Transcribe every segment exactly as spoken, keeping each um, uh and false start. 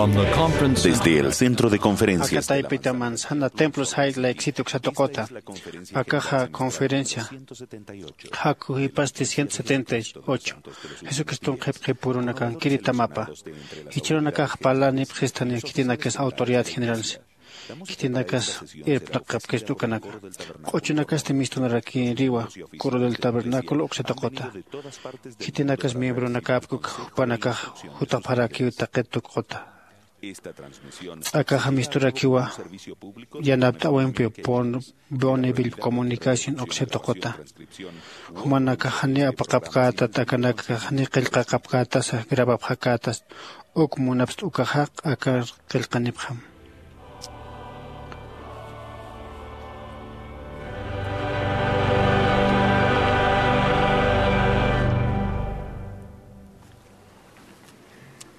Desde el centro de conferencias de la Akataypita manzana templo sayla exito uksatuqota. Akaxa conferencia jakujipasti ciento setenta y ocho. Jesucriston qhipqhipurunakankiri tamapa. Jichhürunakax parlanipxistani khitinakas autoridad generales. Khitinakas irpnaqapkist ukanaka. Q'uchunakasti mistunarakiriwa coro del tabernáculo uksatuqota. Khitinakas miembronakapkuk jupanakax jutapxarakiw taqit tukuqota. Akaxa misturakiwa yanapt'äwimpiw Bonneville Comunicación uksatuqota. Jumanakax jani apaqapkätat akanakax jani qillqaqapkätasa grabapxakätas uk munapst ukaxaq aka qillqanipxam.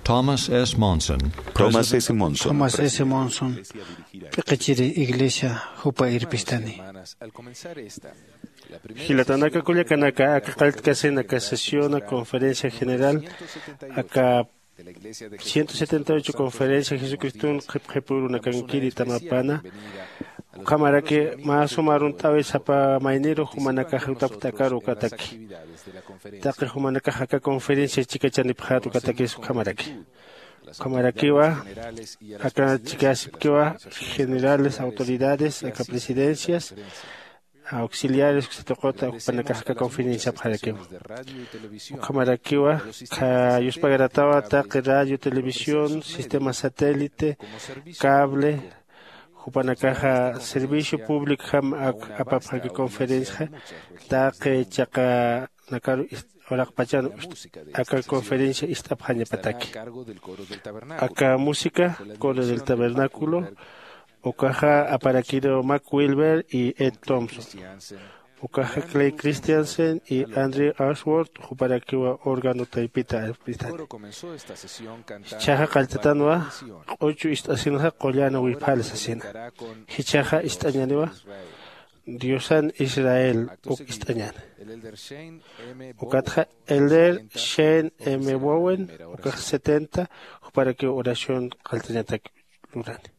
Thomas S. Monson. Thomas S. Monson. Thomas S. Monson. P'iqichiri iglesia jupa irpistani. Jilatanaka kullakanaka, aka qalltkasin aka sesión conferencia general aka ciento setenta y ocho conferencia Jesucriston qhipqhipurunakankiri tamapana. Ukhamaraki mä suma arunt'äwi sapa mayniru jumanakax jutapxta akar ukataki. Taqi jumanakax aka conferencia chikachanipxät ukatakis ukhamaraki. Ukhamarakiwa aka chikasipkiwa generales, autoridades, aka presidencias, auxiliares uksatuqota jupanakax aka conferenciapxarakiwa. Ukhamarakiwa kha yuspagaratawa taqi radio, televisión, sistema satélite, cable, jupanakaxa servicio públicojam ak-, apapxaki conferencia, taqi chaqanakaru ist-, uraqpachan ust-, aka conferencia ist'apxañapataki. Aka música, coro del tabernáculo, ukaxa aparakiru Mac Wilber y Ed Thompson. Ukaxa Clay Christensen y Andrew Ashworth, juparakiwa órgano taypita arpistani. Jichhaxa qalltatanwa, q'uchu ist'asinxa qullan wipxal sasina. Jichhaxa ist'añaniwa, Diosan Israel uk ist'añani. Ukatxa Elder Shane M. Bowen, ukax setenta, juparakiw oración qalltañatak lurani.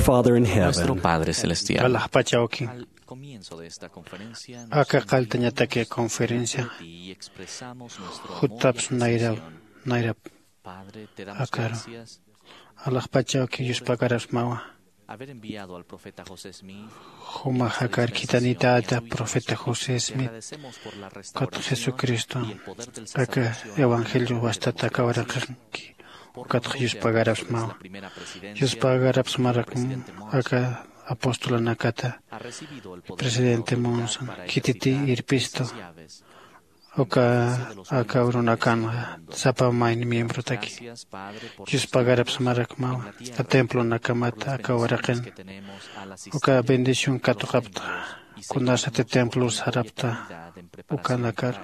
Father in heaven. Nuestro Padre Celestial. Alaxpachawki. Al comienzo de esta conferencia, aka qaltañataki conferencia y expresamos nuestro amor y juttapsa nayra admiración. Nayrap. Padre, te damos gracias. Akaru alaxpachawki yuspagarasmawa. Haber enviado al profeta José Smith. Jumax akar khitanitata profeta José Smith. Kat jesucristo aka evangelio wastata akawaraqanki. Ukatxa yuspagarapsmawa. Yuspagarapsmarakma aka apostolanakata. Presidente Monson khititi irpistu. Uka aka urunakanxa sapa mayni miembrotaki yuspagarapsmarakmawa. Templonakamata aka waraqin uka bendición katuqapta kunasati templor sarapta ukanakar.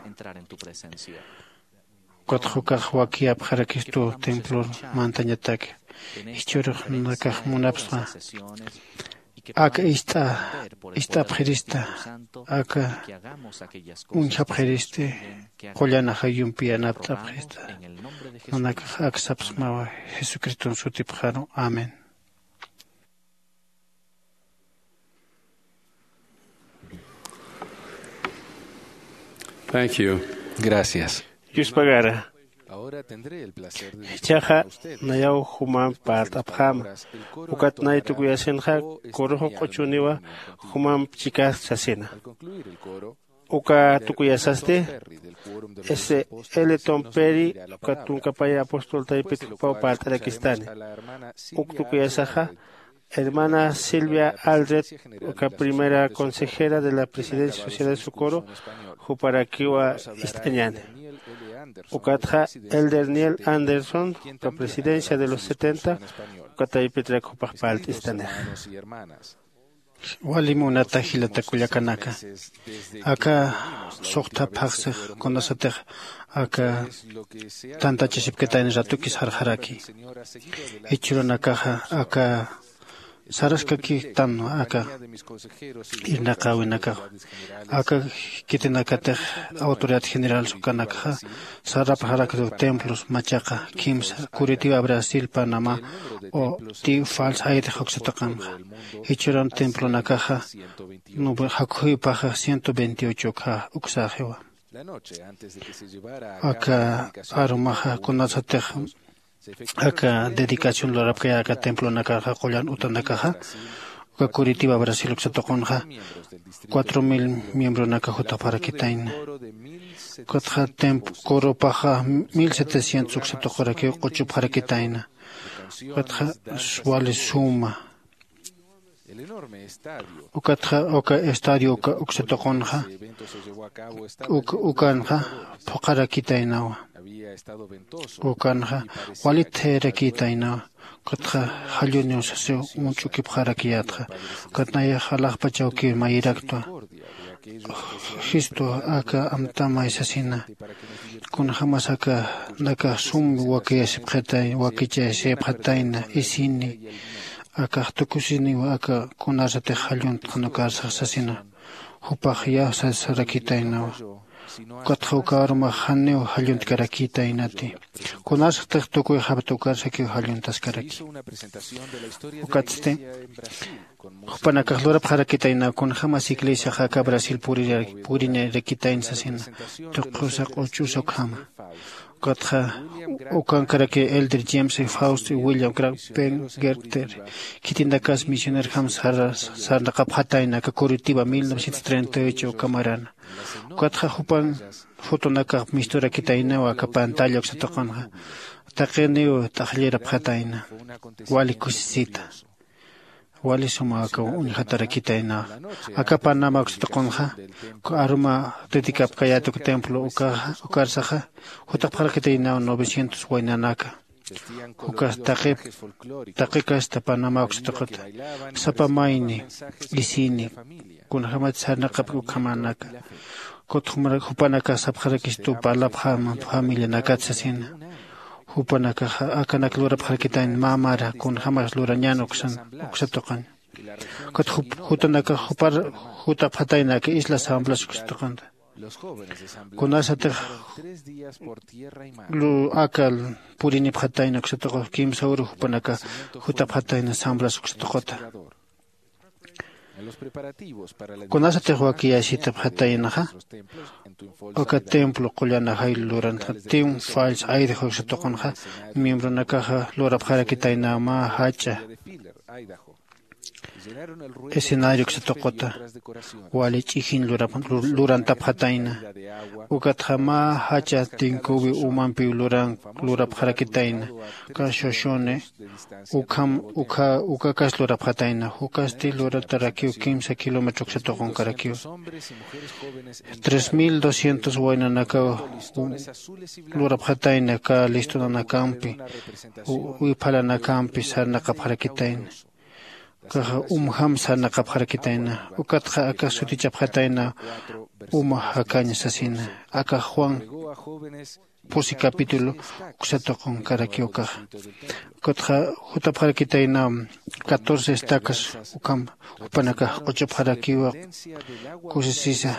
Ukatxa ukax wakiyapxarakistu templor mantañatak. Jichhürux nakax munapsxa aka ist'a ist'apxirista aka uñjapxiristi. Qullanaxa yumpiyanapt'apxista. Nanakax aksapsmawa jesucriston sutipxaru. Amén. Thank you. Gracias. Yuspagara. Jichhaxa nayaw jumamp parlt'apxäma. Ukat nay tukuyasinxa kuruxu q'uchuniwa jumamp chikast sasina. Uka tukuyasasti s l tom peri ukat tunkapaya apostol taypit jupaw parlt'arakistani. Uk tukuyasaxa hermana Silvia Aldred, uka primera consejera de la presidencia social de Socorro, juparakiwa ist'añani. Ukatxa elder Niel Anderson, uka presidencia de los setenta, uka taypitrak jupax parlt'istanixa. Wali munata jilata kullakanaka, aka suxta phaxsix kunasatix aka tantachasipkitayna ratukis jarxaraki. Jichhürunakaxa aka saraskakïtanwa aka irnaqäwinakax. Aka khitinakatix autoridad general sukanakxa sarapxaraktu templos machaqa kimsa Curitiba, Brasil, Panamá o ti falsa ayrix uksa tuqanxa. Jichhüran templonakaxa jakxuypaxa ciento veintiocho uksa uksaxiwa. Aka arumaxa kunasatix aka dedicación lurapkaya aka templonakarxa qullan utanakaxa uka Curitiba, Brasil uksa tuqunxa cuatro mil miembronaka jutapxarakitayna. Ukatxa temp coropaxa mil setecientos uksa tuqurakiw q'uchupxarakitayna. Ukatxa wali suma. Ukatxa uka estadio uka uksa tuqunxa ukanxa phuqharakitaynawa. Ukanxa walit thayarakïtaynawa. Ukatxa jalluniw sasiw uñch'ukipxarakiyätxa. Ukat nayax alaxpachawkiw mayiraktwa. Jistu aka amtamay sasina. Kunjämas aka nakax sum wakiyasipxatayna wakichayasipxatayna isini. Akax tukusiniw aka kunasatix jalluntxan ukarsax sasina. Jupax ya sasarakitaynawa. Ukatxa uka arumax janiw jalluntkarakïtaynati. Kunasatix tukuyxapta ukarsakiw jalluntaskaraki. Ukatsti jupanakax lurapxarakitaynaw kunjämas iglesiax aka Brasil purinirakitayna sasina. Tuqusa q'uchusa ukhama. Ukatxa ukankaraki elder James Faust y William Grant Pengerter khitinakas misionerjam sarnaqapxatayna aka Curitiba mil novecientos treinta y ocho uka marana. Ukatxa jupan fotonakax misturakitaynaw aka pantalla uksa tuqunxa. Taqiniw t'aqllirapxatayna. Wali kusisita. Wali suma aka uñjatarakitaynawa. Aka Panamá uksa tuqunxa aruma dedicapkayät uk templo ukarsaxa jutapxarakitaynaw novecientos waynanaka. Ukas taqi taqi kasta Panamá uksa tuquta sapa mayni isini kunjämat sarnaqapki ukhamanaka. Kut jupanakax sapxarakistu parlapxäma familianakat sasina. Jupanakaxa akanak lurapxarakitayna mä mara kunjämas lurañän uksan uksa tuqin. Ukat jutanakax jupar jutapxatayna aka isla San Blas uksa tuqinta. Kunasatix lu akal purinipxatayna uksatuqu kimsa uru jupanaka jutapxatayna sambras uksatuquta. Kunasatix wakiyasitapxataynaxa uka templo qullan ajaylu lurantxa tim falls ayrix uksatuqunxa miembronakaxa lurapxarakitayna mä jach'a escenario uksatuquta wali ch'ijin lurantapxatayna. Ukatxa mä jach'a tinkuwi umampiw luran lurapxarakitayna. Uka shoshone ukham ukha ukakas lurapxatayna jukasti luratarakiw kimsa kilómetro uksatuqunkarakiw. Tres mil doscientos waynanakaw lurapxatayna ka listunanakampi wiphalanakampi sarnaqapxarakitayna. Kaxa umjam sarnaqapxarakitayna. Ukatxa aka sutichapxatayna uma jakaña sasina. Aka juan pusi capítulo uksatuqunkaraki ukaxa. Ukatxa jutapxarakitayna catorce estacas ukham jupanakax q'uchupxarakiwa kusisisa.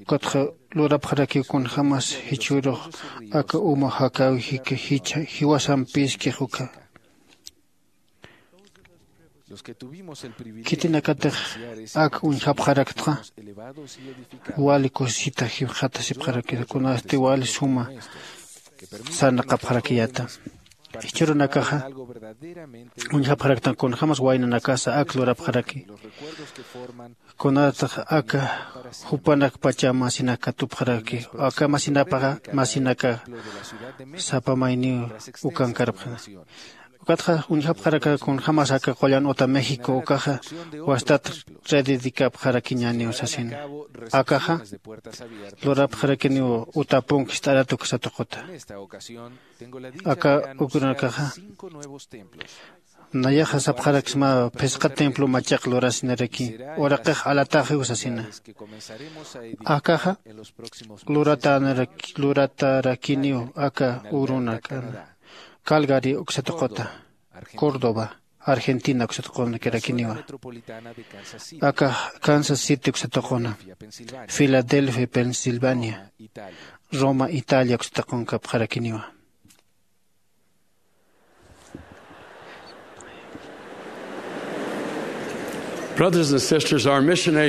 Ukatxa lurapxarakiw kunjämas jichhürux aka uma jakaw jiwasampiskix uka. Khitinakatix ak uñjapxaraktxa wali kusisita jipxatasipxarakita kunasti wali suma sarnaqapxarakiyata. Jichhürunakaxa uñjapxaraktan kunjämas waynanakasa ak lurapxaraki. Kunatax aka jupanakpacha masinak katupxaraki aka masinapaxa masinaka sapa mayniw ukankarpxna. Ukatxa uñjapxaraka kunjämas aka qullan uta méxico ukaxa wastat rededicapxarakiñäniw sasina. Akaxa lurapxarakiniw uta punk jist'arat uksatuquta. Aka ukrunakaxa nayaxa sapxaraksma phisqa templo machaq lurasinaraki uraqix alataxiw sasina. Akaxa luratarakiniw aka urunakana calgary uksatuquta, córdoba argentina uksatuqunakirakiniwa. Akax kansas city uksatuquna, filadelfia pensilvania, roma italia uksatuqunkapxarakiniwa.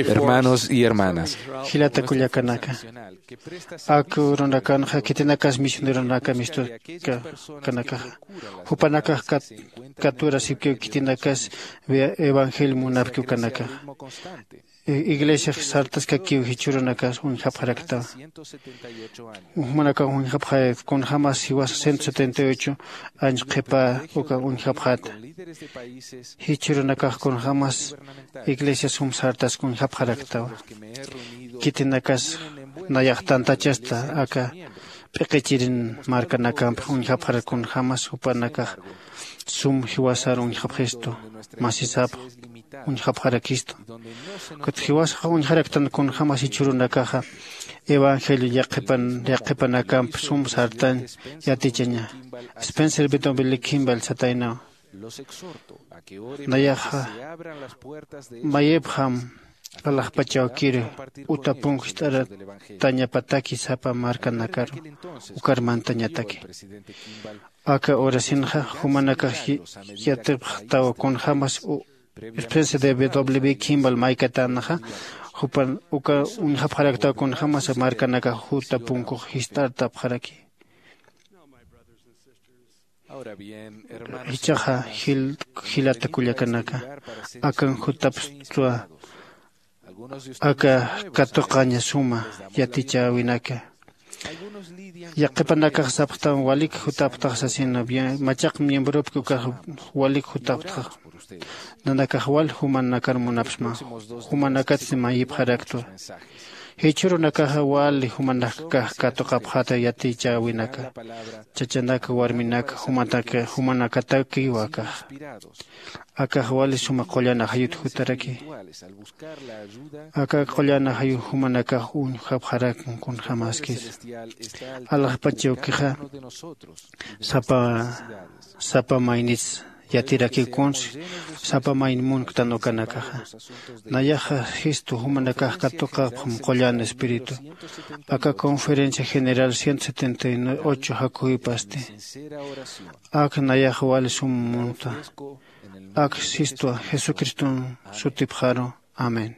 Hermanos y hermanas, jilata kullakanaka, ak urunakanxa khitinakas misioneronaka mistukanakaxa jupanakax katurasipkiw khitinakas evangelio munapkiw kanakaxa. Iglesiax sartaskakiw jichhürunakas uñjapxaraktawa. Jumanakax uñjapxayat kunjämas jiwasa ciento setenta y ocho años qhipa uka uñjapxäta. Jichhürunakax kunjämas iglesias sum sartask uñjapxaraktawa. Khitinakas nayax tantachasta aka p'iqichirin markanakampix uñjapxarak kunjämas jupanakax sum jiwasar uñjapxistu masisapx uñjapxarakistu. Ukat jiwasax uñjaraktan kunjämas jichhürunakaxa evangelio yaqhipanakamp sum sartañ yatichaña. Spencer bitombili kimbal sataynaw nayaxa mayipxam alaxpachawkir uta punk jist'aratañapataki sapa markanakaru. Ukar mantañataki aka urasinxa jumanakax yatipxtaw kunjämas especie de wb kimbal maykatänxa jupan uka uñjapxaraktaw kunjämas markanakax juta punkux jist'artapxaraki. Jichhaxa jilata kullakanaka, akan jutapxtwa aka katuqaña suma yatichäwinaka. Yaqhipanakax sapxtam walik jutapxtax sasina, machaq miembropki ukax walik jutapxtax. Nanakax wal jumanakar munapxsma, jumanakat mayipxaraktwa. Jichhürunakaxa wali jumanakax katuqapxata yatichäwinaka, chachanak warminak jumanakatakiw akax. Akax wali suma qullan ajayut jutaraki. Aka qullan ajayu jumanakax uñjapxarakun kunjämaskis. Alaxpachawkixa sapa sapa maynits yatirakikunsi sapa mayn munktan ukanakaxa. Nayaxa jistu jumanakax katuqapxam qullan espíritu. Aka conferencia general ciento setenta y ocho jakuypasti. Ak nayax wali sum munta. Ak sistwa jesucriston sutipxaru. Amén.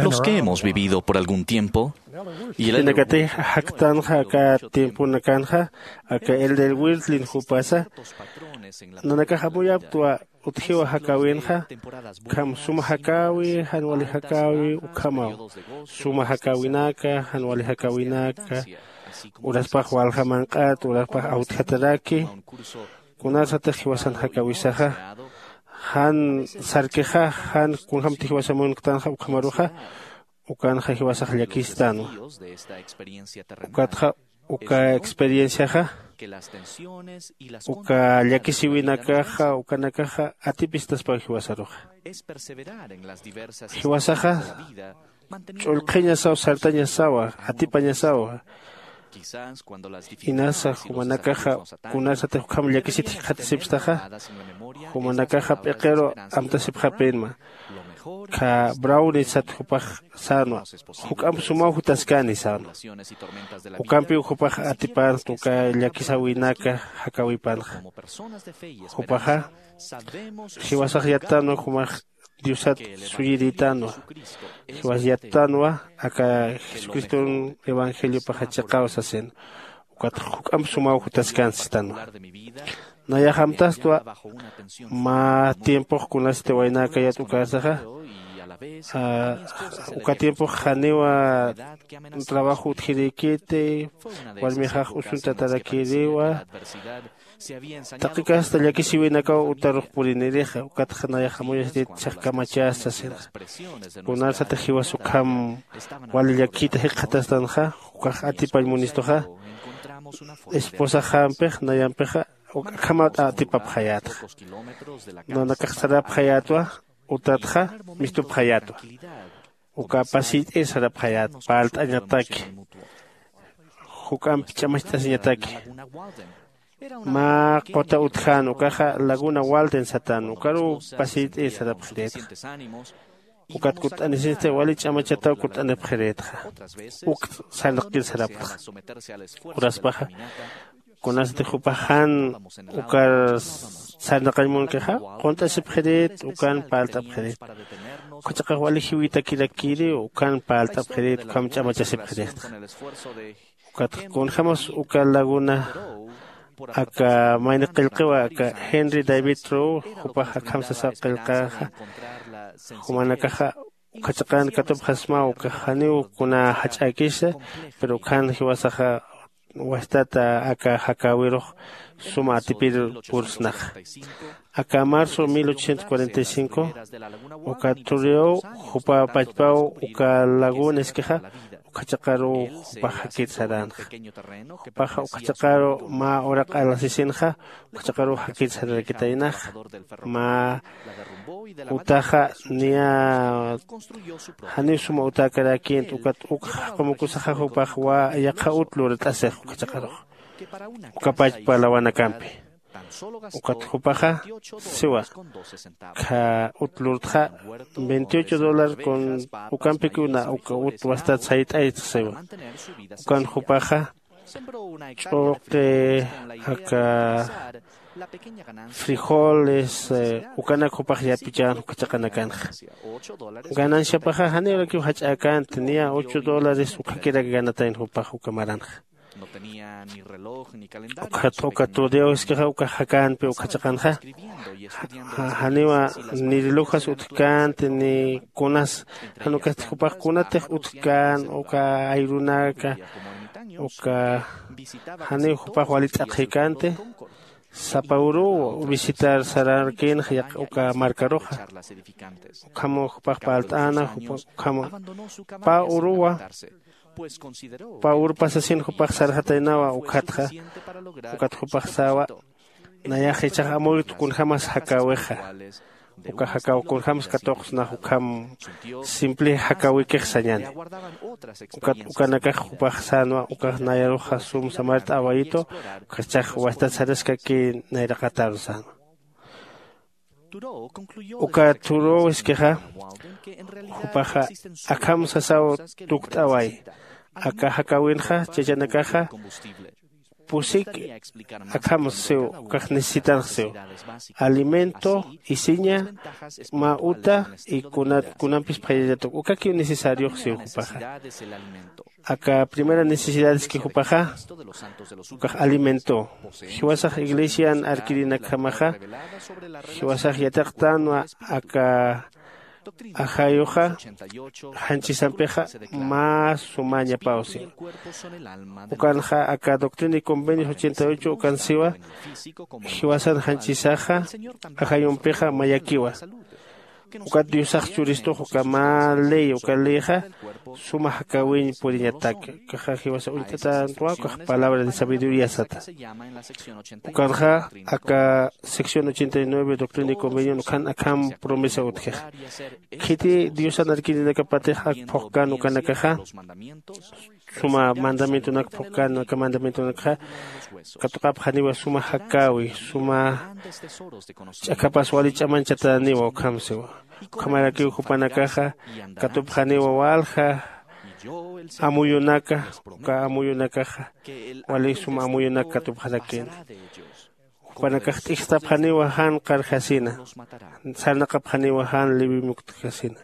Los que hemos vivido por algún tiempo y el elder Jinakatix jaktanxa aka tiemponakanxa, aka elder Wirthlin jupasa, nanakax amuyapktwa utjiwa jakäwinxa, ukham suma jakäwi, jan wali jakäwi, ukhamaw suma jakäwinaka, jan wali jakäwinaka, uraspax walja manq'at, uraspax awtjataraki, kunarsatix jiwasan jakäwisaxa, jan sarkixa, jan kunjämti jiwasa munktanxa ukhamaruxa, ukanxa jiwasax llakistänwa. Ukatxa uka experienciaxa, uka llakisiwinakaxa, ukanakaxa atipistaspaw jiwasaruxa. Jiwasaxa ch'ullqhiñasaw, sartañasawa, atipañasawa. Inasa jumanakaxa kunasatix ukham llakisit jikxatasipstaxa, jumanakaxa p'iqiru amtasipxapïnma. Kha Brownie sat jupax sänwa, juk'amp sumaw jutaskani sänwa. Ukampiw jupax atipänxt uka llakisäwinaka jakäwipanxa. Jupaxa jiwasax yattänwa jumax Diosat suyirïtänwa. Jiwas yattänwa aka Jesucriston evangeliopaxa chiqaw sasin. Ukat juk'amp sumaw jutaskän sistanwa. Nayax amtastwa mä tiempox kunasti waynäkayät ukarsaxa, Ah, uka tiempox janiwa trabajo utjirïkiti, warmixax usuntatarakïriwa. Taqi kasta llakisiwinakaw utarux purinirixa, ukatxa nayax amuyasirit chhaqkamachas sasinxa. Kunarsatix jiwas ukham wali llakita jikxatastanxa, ukax atipañ munistuxa. Esposaxampix nayampixa uk akhamat atipapxayätxa. Nanakax sarapxayätwa, utatxa mistupxayätwa. Uka pasiyt'ir sarapxayät parlt'añataki, juk'amp ch'amacht'asiñataki. Mä quta utjän ukaxa laguna walden satän, ukaruw pasiyt'ir sarapxirïtxa. Ukat kutt'anisinsti wali ch'amachataw kutt'anipxirïtxa. Uk sarnaqkir sarapxtxa. Uraspaxa kunasatix jupax jan ukar sarnaqañ munkixa, qunt'asipxirit ukan parlt'apxirit. Uka chiqax wali jiwitakirakïri ukan parlt'apxirit ukham ch'amachasipxirixtxa. Ukat kunjämas uka laguna aka mayni qillqiwa aka Henry David Thoreau, jupax akham sasaw qillqäxa, jumanakaxa uka chiqan katupxasmaw ukax janiw kuna jach'äkisa, pero ukhan jiwasaxa wastata aka jakäwirux suma atipir pursnaxa. Aka marzo mil ochocientos cuarenta y cinco uka Thoreau jupa pachpaw uka laguna iskixa, uka chiqaruw jupax jakir saränxa. Jupaxa uka chiqaru mä uraq alasisinxa, uka chiqaruw jakir sararakitaynaxa. Mä utaxa niya janiw suma utäkaräkïnti, ukat uk jaqumukusaxa jupax yaqha ut lurt'asix uka chiqarux, uka pachpa lawanakampi. Ukat jupaxa siwa, kha ut lurtxa veintiocho dólar kun, ukampikiw na uka ut wastat sayt'aytx siwa. Ukan jupaxa ch'uqi aka frijoles, ukanak jupax yapichän uka chiqanakanxa. Gananciapaxa janiw urakiw jach'äkänti, niya ocho dólares ukhakirak ganatayn jupax uka maranxa. Ukhat uka Thoreau iskixa ukax jakänpi uka chiqanxa. Janiwa ni relojas utjkänti ni kunas, jan ukasti jupax kunatix utjkän uka ayrunaka, uka janiw jupax wali t'aqhikänti. Sapa uruw visitar sararkïnxa yaq uka markaruxa. Ukham jupax parlt'äna, ukham pä uruwa, pä uru pasasin jupax sarxataynawa. Ukatxa ukat jupax säwa, nayax jichhax amuytu kunjämas jakäwixa. Uka jakäw kunjämsa katuqsnax ukham simple jakäwikix sañäni. Ukat ukanakax jupax sänwa ukax nayaruxa sum samart'äwayitu, ukax jichhax wastat saraskaki nayraqataru sänwa. Uka Thoreau iskixa jupaxa akham sasaw tukt'away, aka jakäwinxa chachanakaxa pusik akham siw, ukax necesitanx siw. Alimento, isiña, mä uta y kunampis phayallatuq ukakiw necesariox siw jupaxa. Aka primera necesidades que jupaxa ukax alimento. Jiwasax iglesian arkirinakjamaxa jiwasax yatiqtänwa aka ajayuxa janchisampixa mä sumañapaw siw. Ukanxa aka doctrina y convenios ochenta y ocho ukan siwa, jiwasan janchisaxa ajayumpixa mayakiwa. Ukat diosax churistux uka mä ley uka leyxa suma jakäwiñ puriñatak. Ukaxa jiwasa uñt'atäntwa ukax palabra de sabiduría sata. Ukanxa aka sección ochenta y nueve doctrina y convenion ukhan akham promesa utjixa. Khiti diosan arkirinakapatix ak phuqkän ukanakaxa suma mandamientonak phuqkän aka mandamientonakxa katuqapxaniwa suma jakäwi suma ch'akhapas wali ch'amanchataniwa ukham siwa. Ukhamarakiw jupanakaxa katupxaniwa walja amuyunaka, uka amuyunakaxa wali suma amuyunak katupxarakïna. Jupanakax t'ijstapxaniwa jan qarjasina, sarnaqapxaniwa jan liwi muktjasina.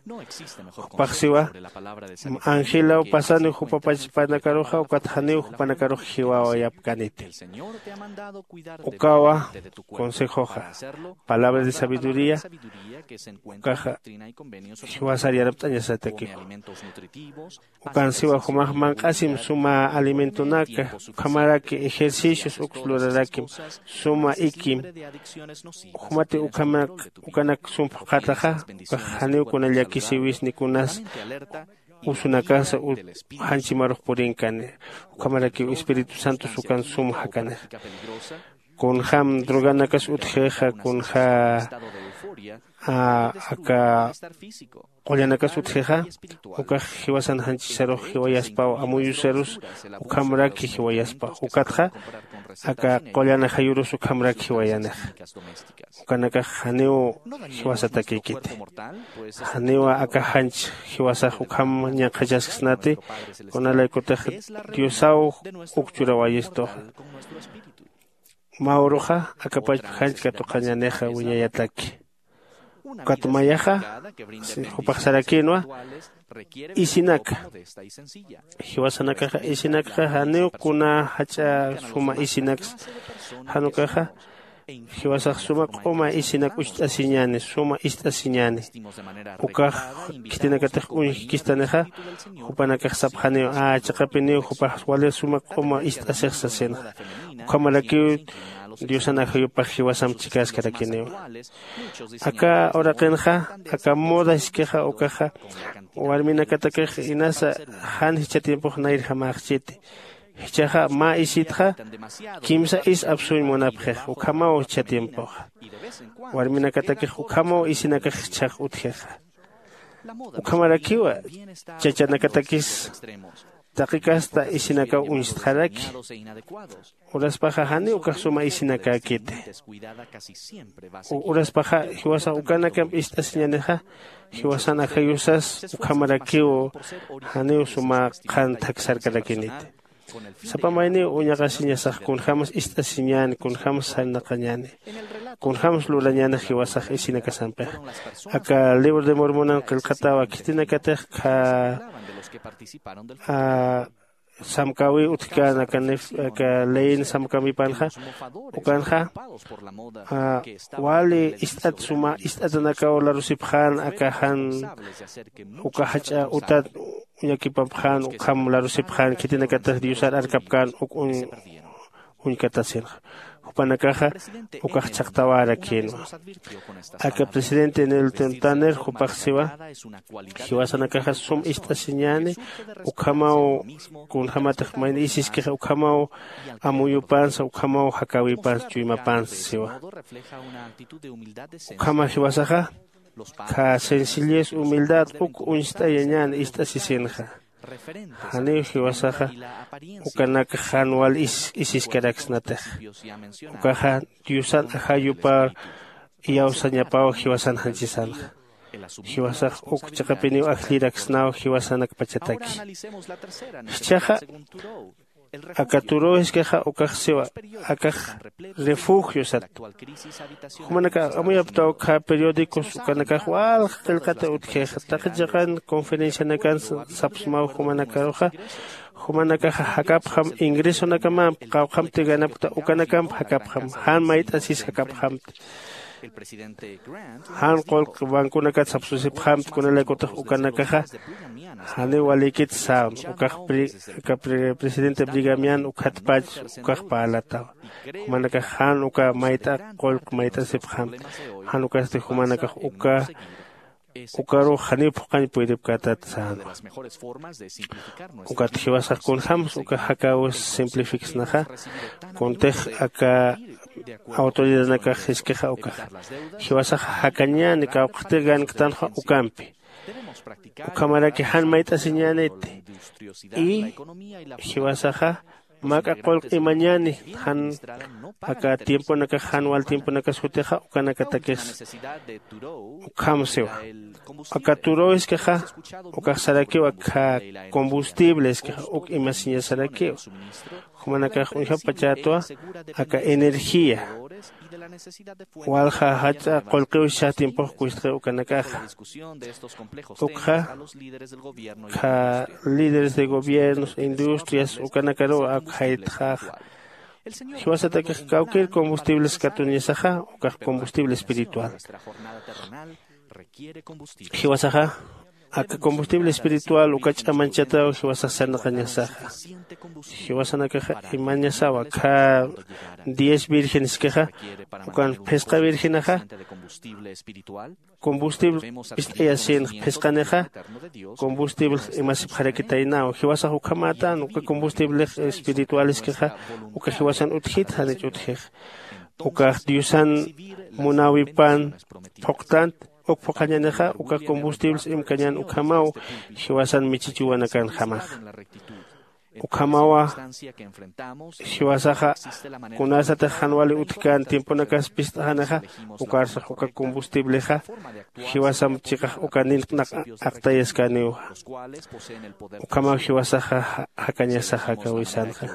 Jupax siwa, angelaw pasaniw jupapachpanakaruxa ukat janiw jupanakarux jiwawayapkäniti. Ukawa consejoxa, palabra de sabiduría, ukaxa jiwasar yanapt'añasatakiwa. Ukan siwa jumax manq'asim suma alimentonaka, ukhamaraki ejercicios uks lurarakim, suma ikim. Jumati ukhamak ukanak sum phuqhataxa, ukax janiw kuna llakisiwisni kunas usunakasa janchimarux purinkani. Ukhamarakiw espíritu santos ukan sum jakanixa. Kunjäm droganakas utjixa, kunjä aka qullanakas utjixa, ukax jiwasan janchisarux jiwayaspaw, amuyusarus ukhamraki jiwayaspaw. Ukatxa aka qullan ajayurus ukhamraki jiwayanixa. Ukanakax janiw jiwasatakïkiti. Janiwa aka janch jiwasax ukham ñanqhachasksnati, kunalaykutix diosaw uk churawayistuxa. Mä uruxa akapachpa janch katuqañänixa wiñayataki. Ukat mayaxa jupax sarakïnwa isinaka. Jiwasanakaxa isinakxa janiw kuna jach'a suma isinaks. Jan ukaxa jiwasax suma q'uma isinak ucht'asiñäni, suma ist'asiñäni. Ukax khitinakatix uñjkistanixa, jupanakax sapxaniw a chiqapiniw jupax wali suma q'uma ist'asix sasinxa. Ukhamarakiw diosan ajayupax jiwasamp chikäskarakiniwa. Aka uraqinxa aka moda iskixa ukaxa warminakatakix inasa jan jichha tiempox nayrjamäxchiti. Jichhaxa mä isitxa kimsa is apsuñ munapxix, ukhamaw jichha tiempoxa. Warminakatakix ukhamaw isinakax jichhax utjixa. Ukhamarakiwa chachanakatakis taqi kasta isinakaw uñstxaraki. Uraspaxa janiw ukax suma isinakäkiti. Uraspaxa jiwasax ukanakamp ist'asiñänixa, jiwasan ajayusas ukhamarakiw janiw suma qhan thaksarkarakiniti. Sapa mayniw uñaqasiñasax kunjämas ist'asiñäni, kunjämas sarnaqañäni, kunjämas lurañänix jiwasax isinakasampixa. Aka libro de Mormonan qillqatawa khitinakatix kha samkäwiw utjkän aka leyin samkäwipanxa, ukanxa wali ist'at suma ist'atanakaw larusipxän aka jan uka jach'a utat uñakipapxän ukham larusipxän khitinakatix diosar arkapkän uk uñkatasinxa. Jupanakaxa ukax chhaqtawarakïnwa. Aka presidente Nilton Tanner jupax siwa, jiwasanakaxa sum ist'asiñäni ukhamaw kunjämatix mayni isiskixa ukhamaw amuyupansa ukhamaw jakäwipansa chuymapansa siwa. Ukhama jiwasaxa kha sencillez humildad uk uñst'ayañän ist'asisinxa. Janiw jiwasaxa ukanak jan wal isiskaraksnatix. Ukaxa diosan ajayupar iyawsañapaw jiwasan janchisanxa. Jiwasax uk chiqapiniw ajlliraksnaw jiwasanakpachataki. Jichhaxa aka turuw jiskixa ukax siwa, akax refugio sat. Jumanakax amuyaptaw kha periódicos ukanakax walja qillqata utjixa taqi chiqan conferencianakan sapsmaw jumanakaruxa. Jumanakaxa jakapxam ingresonakamamp qawqhamti ganapkta ukanakamp jakapxam jan mayt'asis jakapxamti. Jan qullq banconakat sapsusipxamti kunalaykutix ukanakaxa janiw walïkit sam ukax presidente brigamian ukhatpach ukax parlatawa. Jumanakax jan uka mayt'a qullq mayt'asipxamti. Jan ukasti jumanakax uka ukarux janiw phuqañ puydipkätat sänwa. Ukat jiwasax kunjämsa uka jakäwis simplificsnaxa kuntix aka autoridadanakax jiskixa ukaxa jiwasaxa jakañäni kawkxtir ganktanxa ukampi. Ukhamaraki jan mayt'asiñäniti. Y jiwasaxa mak'a qullq imañäni jan aka tiemponakax jan wal tiemponakas jutixa ukanakatakis ukham siwa. Aka turuw iskixa ukax sarakiw aka combustible iskixa uk imasiñas sarakiw. Jumanakax uñjapachätwa aka energía Walja jach'a qullqiwsisa tiempox kustxi ukanakaxa. Ukxa kha líderes de gobiernos, industrias ukanakaruw ak jaytxaxa. Jiwasatakix kawkir combustibles katuñasaxa ukax combustible espiritual. Jiwasaxa aka combustible espiritual uka ch'amanchataw jiwasax sarnaqañasaxa. Jiwasanakaxa imañasawa kha diez virgenskixa ukan phisqa virgenaxa combustible pist'ayasinx phisqanixa combustible imasipxarakitaynaw. Jiwasax ukhamätan uka combustible espiritualeskixa uka jiwasan utjit janich utjix. Ukax diosan munäwipan phuqtant uk phuqhañänixa uka combustibles imkañän ukhamaw jiwasan michichiwanakanjamaxa. Ukhamawa jiwasaxa kunasatix jan wali utjkän tiemponakas pist'xanixa ukarsax uka combustiblexa jiwasamp chiqax uka nint'naq aqtayaskäniwa. Ukhamaw jiwasaxa jakañasaxa kawisanxa.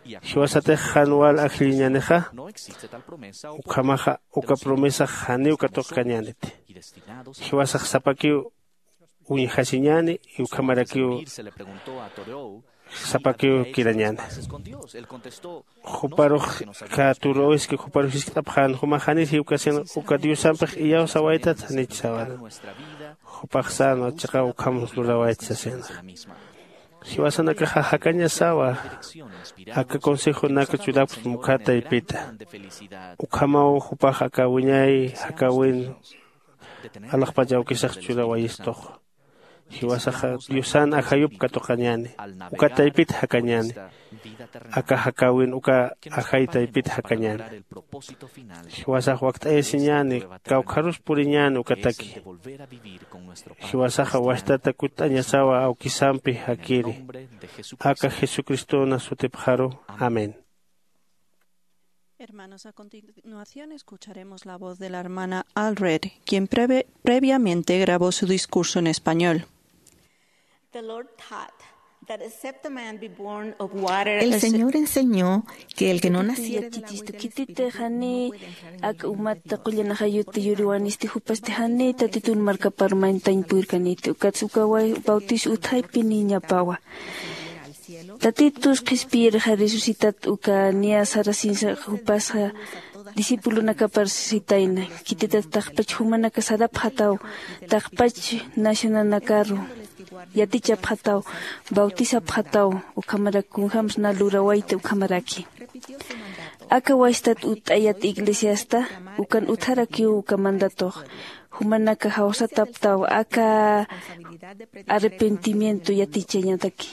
Jiwasatix jan wal ajlliñänixa ukhamaxa uka promesax janiw katuqkañäniti. Jiwasax sapakiw uñjasiñäni y ukhamarakiw sapakiw kirañäni. Juparux katuruwiski juparux jisk'apxän jumax janir jiwkasin uka diosampix iyawsawaytat janich sawana. Jupaxsänwa chiqaw ukham lurawayt sasinxa. Jiwasanakaxa jakañasawa aka consejonaka churapxsma ukkha taypita. Ukhamaw jupax aka wiñay jakawin alaxpach awkisax churawayistuxa. Jiwasaxa diosan ajayup katuqañäni uka taypit jakañäni. Aka jakäwin uka ajay taypit jakañäni. Jiwasax wakt'ayasiñäni kawkharus puriñäni ukataki. Jiwasaxa wastata kutt'añasawa awkisampi jakiri. Aka jesucristona sutipxaru. Amén. Hermanos, a continuación escucharemos la voz de la hermana Alred, quien preve- previamente grabó su discurso en español. The Lord taught that except a man be born of water El Señor enseñó que el que no naciere de la agua y del Espíritu no puede entrar en el reino de Dios. Ak umat qullan ajayut yuriwanisti jupasti jani tatitun markapar mantañ purkaniti ukats uka bautizo utjaypiniñapawa. Tatitus qhispiyirxa resucitat uka niya sarasinsa jupasxa discipulonakapar sitayna. Khititat taqpach jumanaka sarapxataw, taqpach nacionanakaru yatichapxataw, bautisapxataw, ukhamarak kunjämsa na lurawayta ukhamaraki. Aka wastat utt'ayat iglesiasta ukan utjarakiw uka mandatox. Jumanaka jawsataptaw aka arrepentimiento yatichañataki.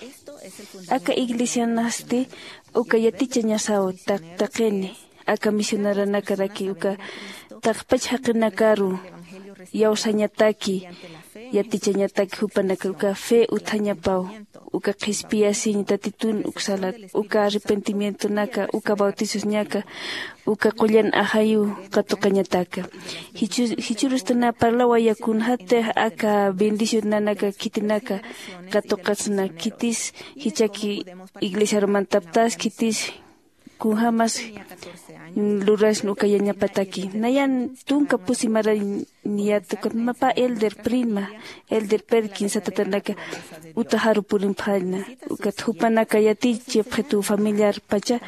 Aka iglesianasti uka yatichañasaw taq- taqini aka misioneronakaraki uka taqpach jaqinakaru iyawsañataki yatichañataki jupanaka uka fe utjañapaw uka qhispiyasiñ tatitun uksalat uka arrepentimientonaka uka bautisosñaka uka qullan ajayu katuqañataka. Jichhurustana parlawaya kunjätix aka bendicionanaka khitinaka katuqatsna khitis jichhaki iglesiaru mantaptas khitis kunjämas lurasna uka yañapataki nayan tunka pusi marañiyat ukat mapa elder prima elder perkin satatanaka utajaru purimpxaña. Ukat jupanaka yatichipxitu familiarpacha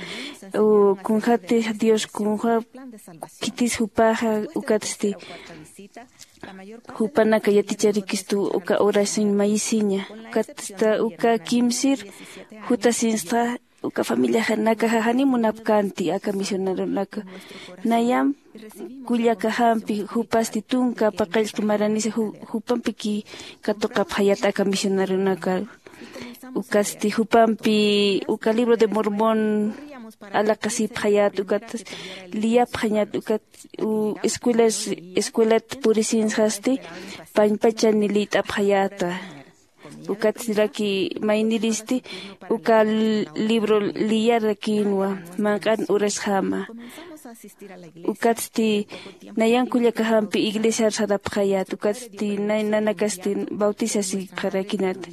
kunjäti dios kunjäp khitis jupaxa ukatsti jupanaka yaticharikistu uka oración mayisiña. Ukatsta uka kimsir jutasinsta uka familiajanakaxa jani munapkänti aka misioneronaka. Nayam kullakajampi jupasti tunka paqallqi maranisa jupampiki katuqapxayat aka misioneronaka. Ukatsti jupampi uka libro de mormón alaqasipxayat ukat liyapxañat ukat escuelas escuelat purisinsxasti pañpachani liyt'apxayäta. Ukatsiraki mayniristi uka libro liyarakïnwa manq'an urasjama. Ukatsti nayan kullakajampi iglesiar sarapxayät ukatsti nanakasti bautisasipxarakinata.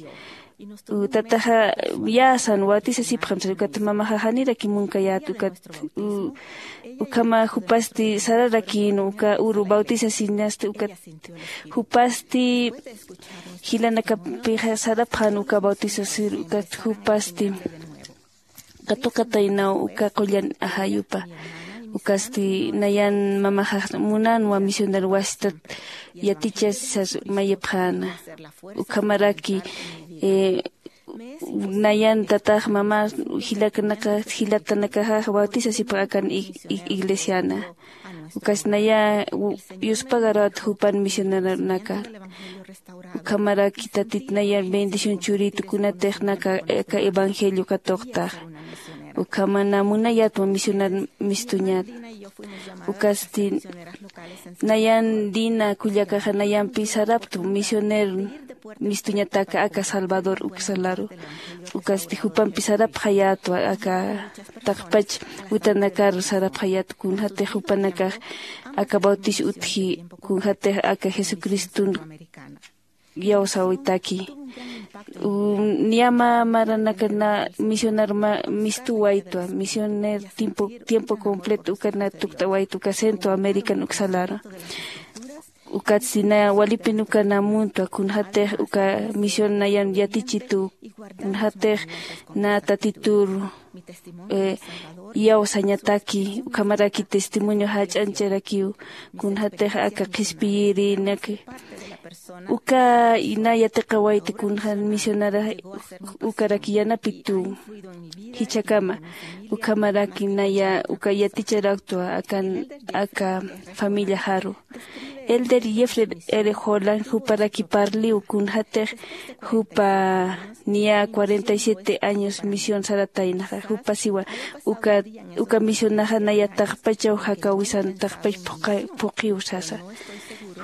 Tataxa yäsan bautisasipxam sasa, ukat mamaxa janiraki munkayät ukat ukhama jupasti sararakïn uka uru bautisasiñasti ukat jupasti jilanakapixa sarapxän uka bautisasir ukat jupasti katuqataynaw uka qullan ajayupa. Ukasti nayan mamaxax munanwa misionar wasitat yatichasisas mayipxäna. Ukhamaraki nayan tatax mama jilatanakax bautizasipxakan iglesiana. Ukasti naya yuspagarwat jupan misioneronaka. Ukhamaraki tatit nayan bendición churitu kunatix naka aka evangelio katuqtax. Ukhamana munayatwa misionar mistuñat. Ukasti nayan dina kullakaxa nayampi saraptu misioner mistuñataka aka salvador uksalaru. Ukasti jupampi sarapxayätwa aka taqpach utanakaru sarapxayät kunjatix jupanakax aka bautis utji kunjatix aka jesucriston iyawsawitaki. Niyama maranakana misionar mistuwaytwa misioner tiempo completo ukana tukt'awaytwa uka centro american uksalaru. Ukatsti na walipin ukana muntwa kunjatix uka misión nayan yatichitu kunjatix na tatitur iyawsañataki ukhamaraki testimonio jach'añcharakiw kunjatix aka qhispiyirinak uka na yatiqawayti kunjan misionara ukaraki yanapituw jichhakama. Ukhamaraki naya uka yaticharaktwa akan aka familiaxaru elder jeffrey r holland juparaki parliw kunjatix jupa niya cuarenta y siete años misión sarataynaxa jupasiwa uka misionaxa naya taqpachaw jakawisan taqpach phuqiw sasa.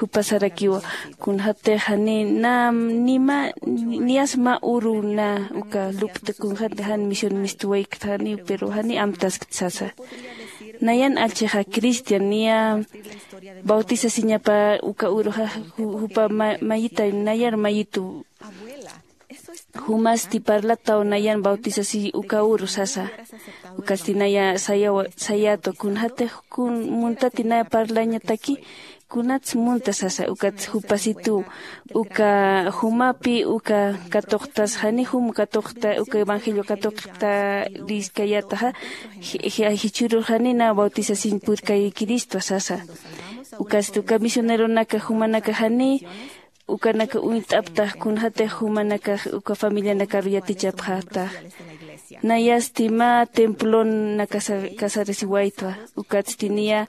Jupasarakiwa kunjatix jani na nima niyas mä uru na uka lup'ta kunjatix jan misión mistuwaykta janiw pero jani amtaskta sasa. Nayan allchixa cristian niya bautisasiñapa uka uruxa jupa mayita nayar mayitu jumasti parlataw nayan bautisasi uka uru sasa. Ukasti naya sayätwa kunjatix kun muntati naya parlañataki kunats munta sasa ukat jupasituw uka jumapi uka katuqtas jani jum katuqta uka evangelio katuqta riskayataxa jichhürur jani na bautisasiñ purkayikiristwa sasa. Ukasti uka misioneronaka jumanaka jani ukanaka uñt'aptax kunjatix jumanakax uka familianakaru yatichapxatax. Nayasti mä templon nakasarasiwaytwa ukatsti niya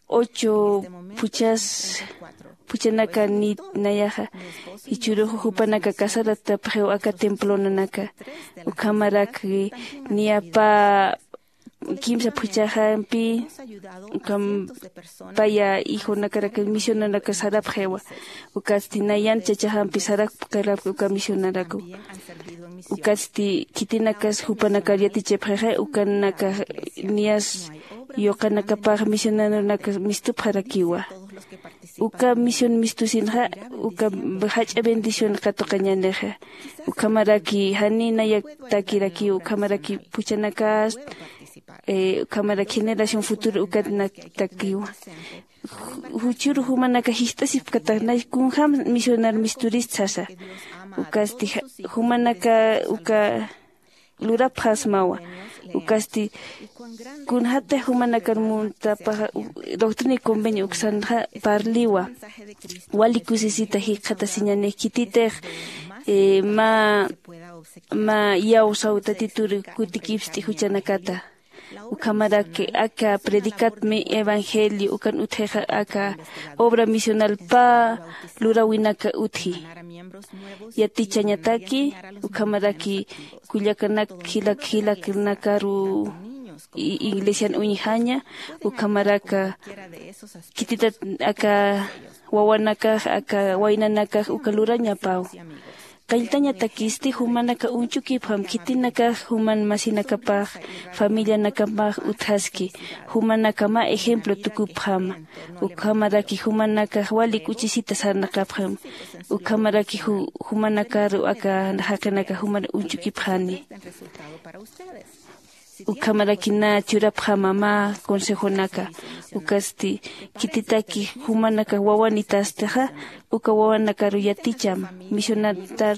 ocho phuchhas phuchhanaka nit nayaxa jichhürux jupanaka casaratapxiw aka templonanaka. Ukhamarak niya pä kimsa phuchhaxampi ukham paya hijunakarak misionanaka sarapxiwa. Ukatsti nayan chachaxampi sarapkarapki uka misionaraku. Ukatsti khitinakas jupanakar yatichapxixa ukanakax niyas yuqanakapax misioneronaka mistupxarakiwa. Uka misión mistusinxa uka jach'a bendición katuqañänixa. Ukhamaraki jani nayak takirakiw ukhamaraki phuchhanakas ukhamaraki generación futuro ukat naktakiwa. Juchhüru jumanaka jist'asipkatax nay kunjäm misionar misturist sasa. Ukasti jumanaka uka lurapxasmawa. Ukasti kunjatix jumanakar muntapaxa doctrina y convenio uksanxa parliwa. Wali kusisita jikxatasiñanix khititix mä mä iyawsaw tatitur kutikipst'i juchanakata. Ukhamarak aka predicatmi evangelio ukan utjixa aka obra misional pä luräwinaka utji. Yatichañataki ukhamaraki kullakanak jilak jilaknakaru iglesian uñjaña. Ukhamaraka khititat aka wawanakax aka waynanakax uka lurañapaw. Qilltañatakisti jumanaka uñch'ukipxam, khitinakax juman masinakapax, familianakapax utjaski, jumanakama ejemplo tukupxama. Ukhamaraki jumanakax wali k'uchisita sarnaqapxam. Ukhamaraki ju- jumanakaru aka jaqinaka juman uñch'ukipxani. Ukhamaraki na churapxama mä consejonaka. Ukasti khititaki jumanaka wawanitastixa, uka wawanakaru yaticham misionatar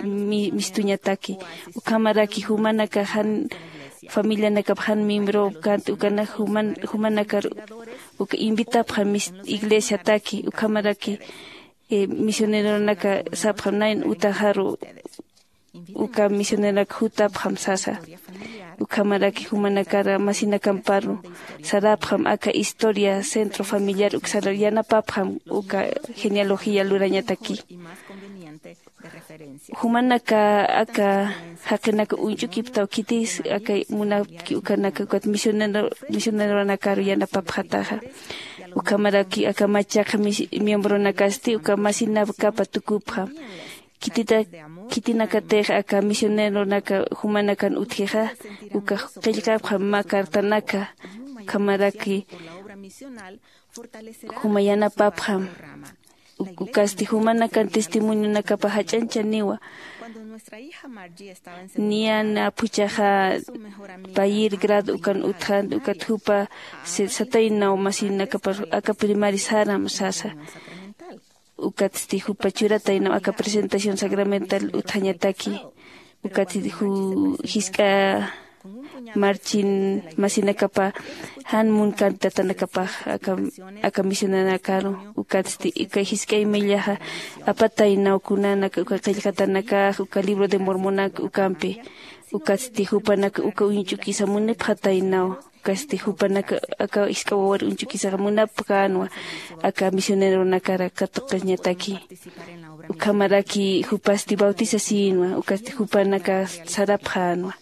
mi- mistuñataki. Ukhamaraki jumanaka jan familianakap jan miembro kant ukana juman jumanakar uka invitapxam mis- iglesiataki. Ukhamaraki eh, misioneronaka sapxam nayn utaxaru uka misioneronak jutapxam sasa. Ukhamaraki jumanakara masinakamparu sarapxam aka historia centro familiar uksara yanapapxam uka genealogía lurañataki. Jumanaka aka jaqinaka uñch'ukiptaw khitis aka munapki ukanaka ukat misionero misioneronakaru yanapapxataxa. Ukhamaraki aka machaqa mis- miembronakasti uka masinakapa tukupxam. Khitita khitinakatix aka misioneronaka jumanakan utjixa uka qillqapxam mä cartanaka. Ukhamaraki juma yanapapxam. Ukasti jumanakan testimonionakapa jach'anchaniwa. Niyan aphuchaxa payir grado ukan utjan ukat jupa sataynaw masinakapar aka primari saram sasa. Ukatsti jupa churataynaw aka presentación sacramental utjañataki. Ukatsti ju jisk'a marchin masinakapa jan munkantatanakapax aka aka misionanakaru. Ukatsti uka jisk'ay millaxa apataynaw kunanaka uka qillqatanakax uka libro de mormonak ukampi. Ukatsti jupanaka uka uñch'ukisa munipxataynaw. Ukatsti jupanaka aka jisk'a wawar uñch'ukisaxa munapxänwa aka misioneronakara katuqiñataki. Ukhamaraki jupasti bautizasinwa ukatsti jupanaka sarapxänwa.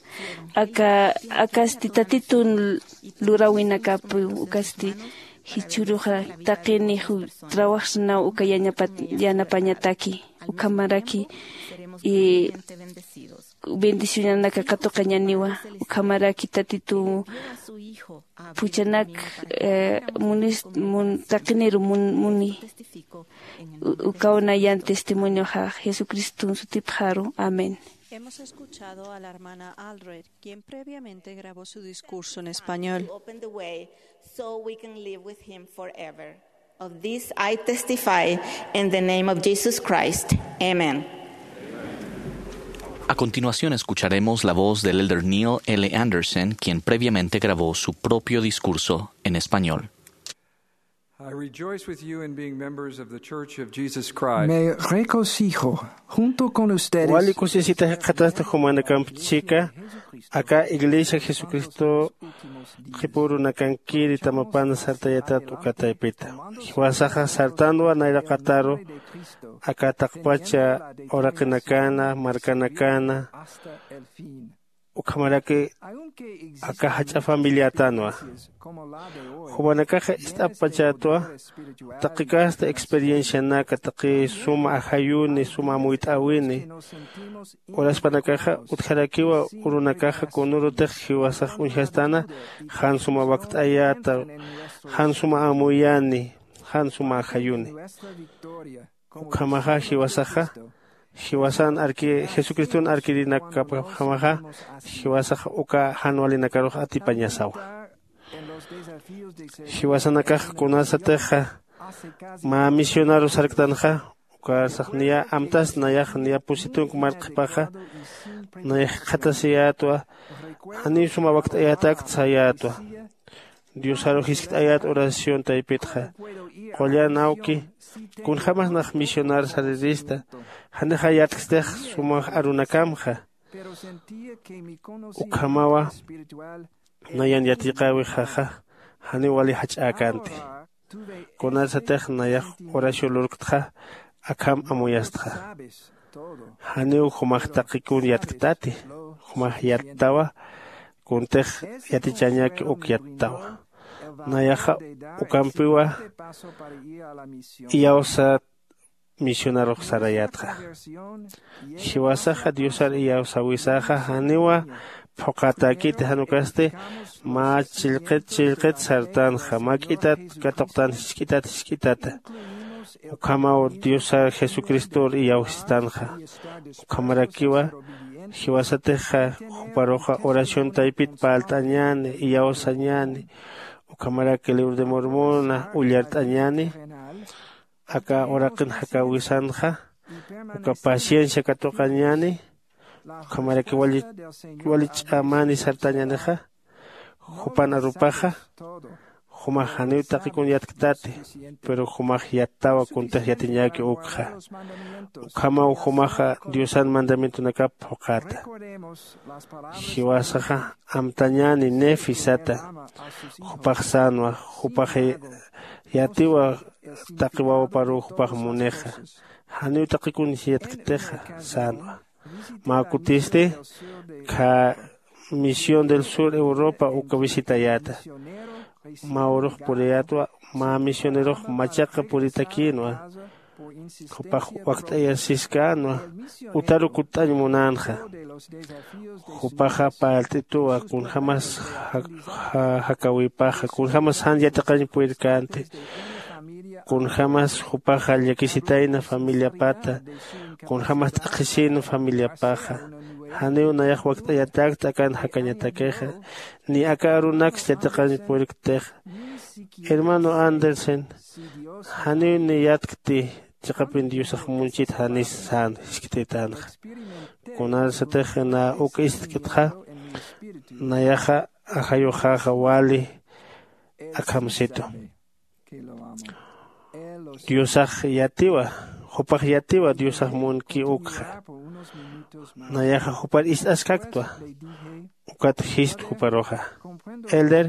Aka akasti tatitun luräwinakapi ukatsti jichhüruxa taqini ju trawaxsnaw uka yanapañataki. Ukhamaraki bendicionanaka katuqañaniwa. Ukhamaraki tatitu phuchanak taqiniru muni. Ukaw nayan testimonioxa jesucriston sutipxaru. Amén. Hemos escuchado a la hermana Allred, quien previamente grabó su discurso en español. Open the way so we can live with him forever. Of this I testify in the name of Jesus Christ. Amén. A continuación escucharemos la voz del elder Neil L. Andersen, quien previamente grabó su propio discurso en español. I rejoice with you in being members of the Church of Jesus Christ. Me regocijo junto con ustedes. Wali kusisita jikxatasti jumanakamp chika aka Iglesia Jesucristo qhipürunakankiri tamapan sartayatat uka taypita. Jiwasaxa sartanwa nayraqataru aka taqpacha uraqinakana, markanakana, ukhamaraki aka jach'a familiätanwa. Jumanakaxa ist'apachätwa taqi kasta experiencianaka, taqi suma ajayuni, suma amuyt'äwini. Uraspanakaxa utjarakiwa urunakaxa kunürutix jiwasax uñjastan jan suma wakt'ayäta, jan suma amuyani, jan suma ajayuni. Ukhamaxa jiwasaxa jiwasan arki jesucriston arkirinakapjamaxa jiwasaxa uka jan walinakarux atipañasawa. Jiwasanakax kunasatixa mä misionaru sarktanxa ukarsax niya amtas nayax niya pusi tunka mark qhipaxa nayax jikxatasiyätwa. Janiw suma wakt'ayätakt sayätwa. Diosaru jiskt'ayät oración taypitxa qullan awki kunjämas nax misionar sarirista janixa yatkstix sumax arunakamxa. Ukhamawa nayan yatiqäwixaxa janiw wali jach'äkänti. Kunarsatix nayax oración lurktxa akham amuyastxa. Janiw jumax taqi kun yatktati. Jumax yattawa kuntix yatichañaki uk yattawa. Nayaxa ukampiwa iyawsat misionarux sarayatxa. Jiwasaxa diosar iyawsawisaxa janiwa phuqhatäkiti, jan ukasti mä chillqit chillqit sartanxa, mä k'itat katuqtan jisk'itat jisk'itata. Ukhamaw diosar jesucristor iyawsistanxa. Ukhamarakiwa jiwasatixa juparuxa oración taypit parlt'añäni, iyawsañäni. Ukhamaraki libro de mormona ullart'añäni. Aka uraqin jakawisanxa uka paciencia katuqañäni. Ukhamaraki wali wali ch'amani sartañänixa. Jupan arupaxa jumax janiw taqikun yatktati, pero jumax yattawa kuntix yatiñäki ukxa. Ukhamaw jumaxa diosan mandamientonakap phuqhata. Jiwasaxa amtañäni nefi sata. Jupax sänwa, jupax yatiwa taqi wawaparuw jupax munixa. Janiw taqikun yatktixa sänwa. Mä kutisti kha misión del sur europa uka visitayäta. Mä urux puriyätwa, mä misionerux machaqa puritakïnwa. Jupax wakt'ayasiskänwa. Utaru kutt'añ munänxa. Jupaxa parlt'ituwa kunjämas jakawïpaxa, kunjämas jan yatiqañ purirkänti, kunjämas jupaxa llakisitayna familiapata, kunjämas t'aqhisïna familiapaxa. Janiw nayax wakt'ayatäkta akan jakañatakixa, ni aka arunaks yatiqañ puriktixa. Hermano andersen, janiw niyatkti chiqapin diosax munchit janis sän jiskt'itanxa. Kunarsatix na uk istkitxa, nayaxa ajayuxaxa wali akhamsitu. Diosax yatiwa, jupax yatiwa diosax munki ukxa. Nayaxa jupar ist'askaktwa. Ukat jist juparuxa, elder,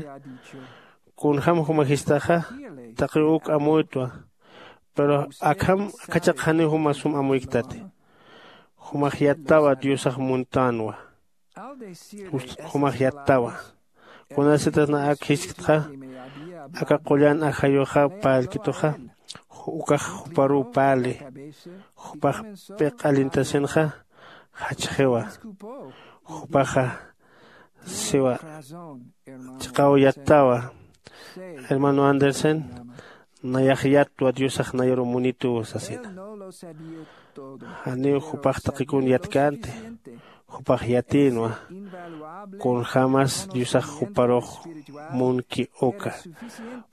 kunjäm juma jistaxa, taqiw uk amuytwa. Pero akham akhachaq janiw juma sum amuykitati. Jumax yattawa diosax muntänwa. Jumax yattawa. Kunasitax na ak jisktxa, aka qullan ajayuxa parlkituxa, ukax juparuw parli. Jupax p'iq'alintasinxa, jachxiwa. Jupaxa siwa, chiqaw yattawa. Hermano andersen, nayax yattwa diosax nayaru munituw sasina. Janiw jupax taqikun yatkänti, jupax yatïnwa. Kunjämas diosax juparux munki uka.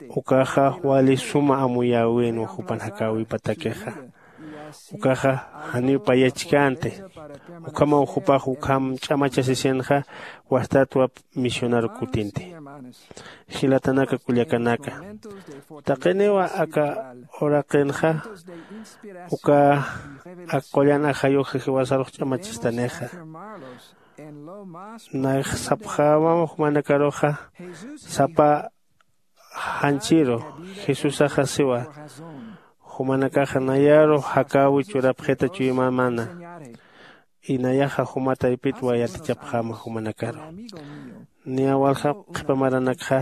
Ukaxa wali suma amuyäwinwa jupan jakäwipatakixa. Ukaxa janiw payachkänti. Ukhamaw jupax ukham ch'amachasisinxa, wastatwa misionar kutinti. Jilatanaka kullakanaka, taqiniwa aka uraqinxa uka ak qullan ajayuxa jiwasarux ch'amachistanixa. Nax sapxämam jumanakaruxa sapa janchiru, jesusaxa siwa, jumanakaxa nayaru jakäwi churapxita chuymamana. Inayaxa juma taypitwa yatichapxäma jumanakaru. Niya walja qhipa maranakxa,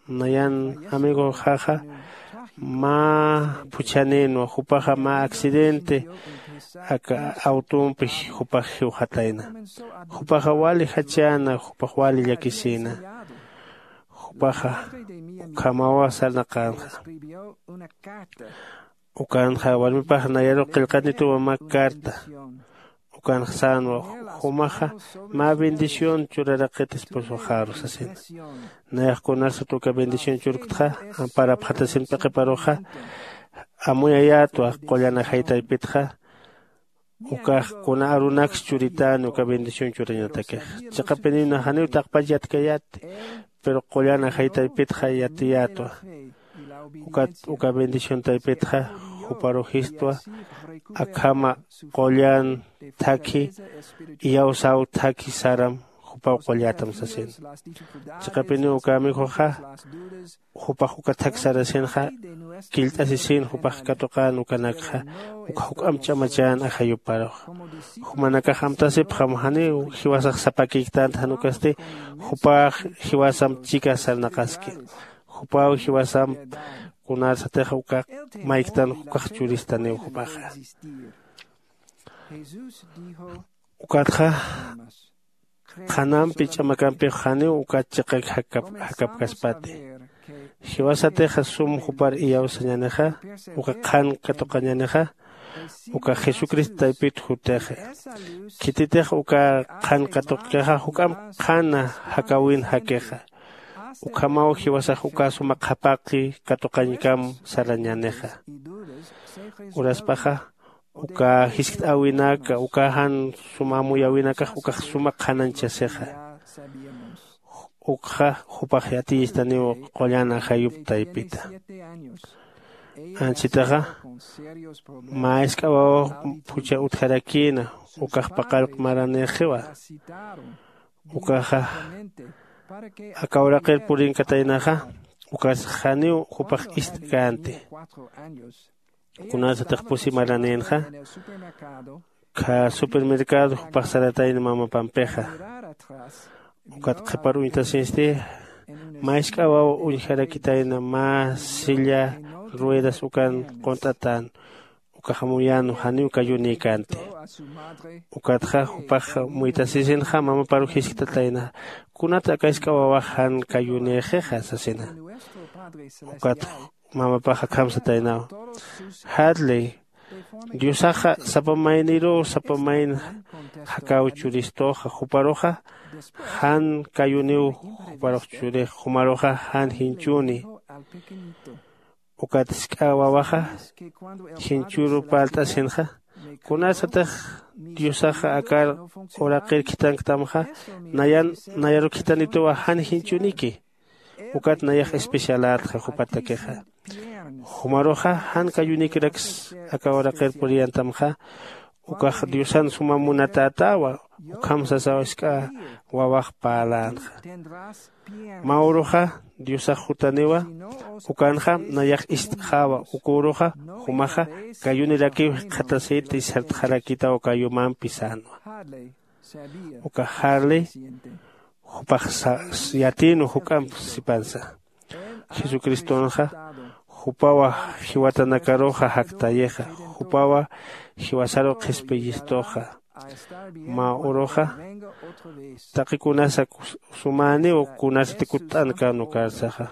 nayan amigoxaxa mä phuchhanïnwa, jupaxa mä accidente aka awtumpi jupax jiwxatayna. Jupaxa wali jachäna, jupax wali llakisïna. Jupaxa ukhamawa sarnaqänxa. Ukanxa warmipax nayaru qillqanituwa mä carta. Ukanxa sänwa, jumaxa mä bendición churaraqit esposoxaru sasina. Nayax kunarsat uka bendición churktxa, amparapxatasin p'iqiparuxa, amuyayätwa qullan ajay taypitxa. Ukax kuna arunaks churitäni uka bendición churañatakix. Chiqapinïna janiw taqpach yatkayäti, pero qullan ajay taypitxa yatiyätwa. Ukat uka bendición taypitxa juparu jistwa, akhama qullan thakhi, iyawsaw thakhi saram jupaw qullätam sasina. Chiqapiniw uka amigoxa jupax uka thak sarasinxa, killt'asisïn jupax katuqän ukanakxa, uka juk'amp ch'amachän ajayuparux. Jumanakax amtasipxam janiw jiwasax sapakïktänti, jan ukasti jupax jiwasamp chika sarnaqaski. Jupaw jiwasamp kunarsatix uka mayktan ukax churistaniw jupaxa. Ukatxa qhanampi ch'amakampix janiw ukat chiqak jakap jakapkaspati. Jiwasatixa sum jupar iyawsañänixa, uka qhan katuqañänixa, uka Jesucristo taypit jutixi. Khititix uka qhan katuqkixa juk'amp qhana jakäwin jakixa. Ukhamaw jiwasax uka suma qhapaqi katuqañkam sarañänixa. Uraspaxa uka jiskt'äwinaka, uka jan sum amuyäwinakax ukax suma qhanañchasixa. Ukxa jupax yatiyistaniw qullan ajayup taypita. Anchitaxa mä jisk'a wawaw phuchha utjarakïna, ukax paqallq maranïxiwa. Ukaxa aka uraqir purinkataynaxa, ukas janiw jupax ist'känti. Kunasatix pusi maranïnxa, kha supermercado jupax saratayna mamapampixa. Ukat qhipar uñtasinsti, mä jisk'a wawa uñjarakitayna mä silla ruedas ukan qunt'atän, ukax amuyän janiw kayunïkänti. Ukatxa jupax muytasisinxa, mamaparu jisktatayna, kunat aka jisk'a wawax jan kayunïxixa sasina. Ukat mamapax akham sataynaw, Harley, Diosaxa sapa mayniruw sapa mayn jakäw churistuxa, juparuxa jan kayuniw, juparux churix, jumaruxa jan jinchüni. Ukat jisk'a wawaxa jinchüru parlt'asinxa, kunasatix Diosaxa akar uraqir khithanktamxa, nayan nayaru khithanituwa jan jinchüniki. Ukat nayax especialätxa jupatakixa. Jumaruxa jan kayunikiraksa aka uraqir puriyantamxa, ukax Diosan suma munatätawa, ukham sasaw jisk'a wawax parlänxa. Mä uruxa Diosax jutaniwa, ukanxa nayax ist'xäwa, uka uruxa jumaxa kayunirakiw jikxatasiti sartxarakitaw kayumampi sänwa. Uka Harley jupax sa- yatïnwa juk'amp sipansa. Jesucristonxa jupawa jiwatanakaruxa jaktayixa, jupawa jiwasaru qhispiyistuxa. Mä uruxa taqi kunasa kus- sumäniw kunasati kutt'ankän ukarsaxa.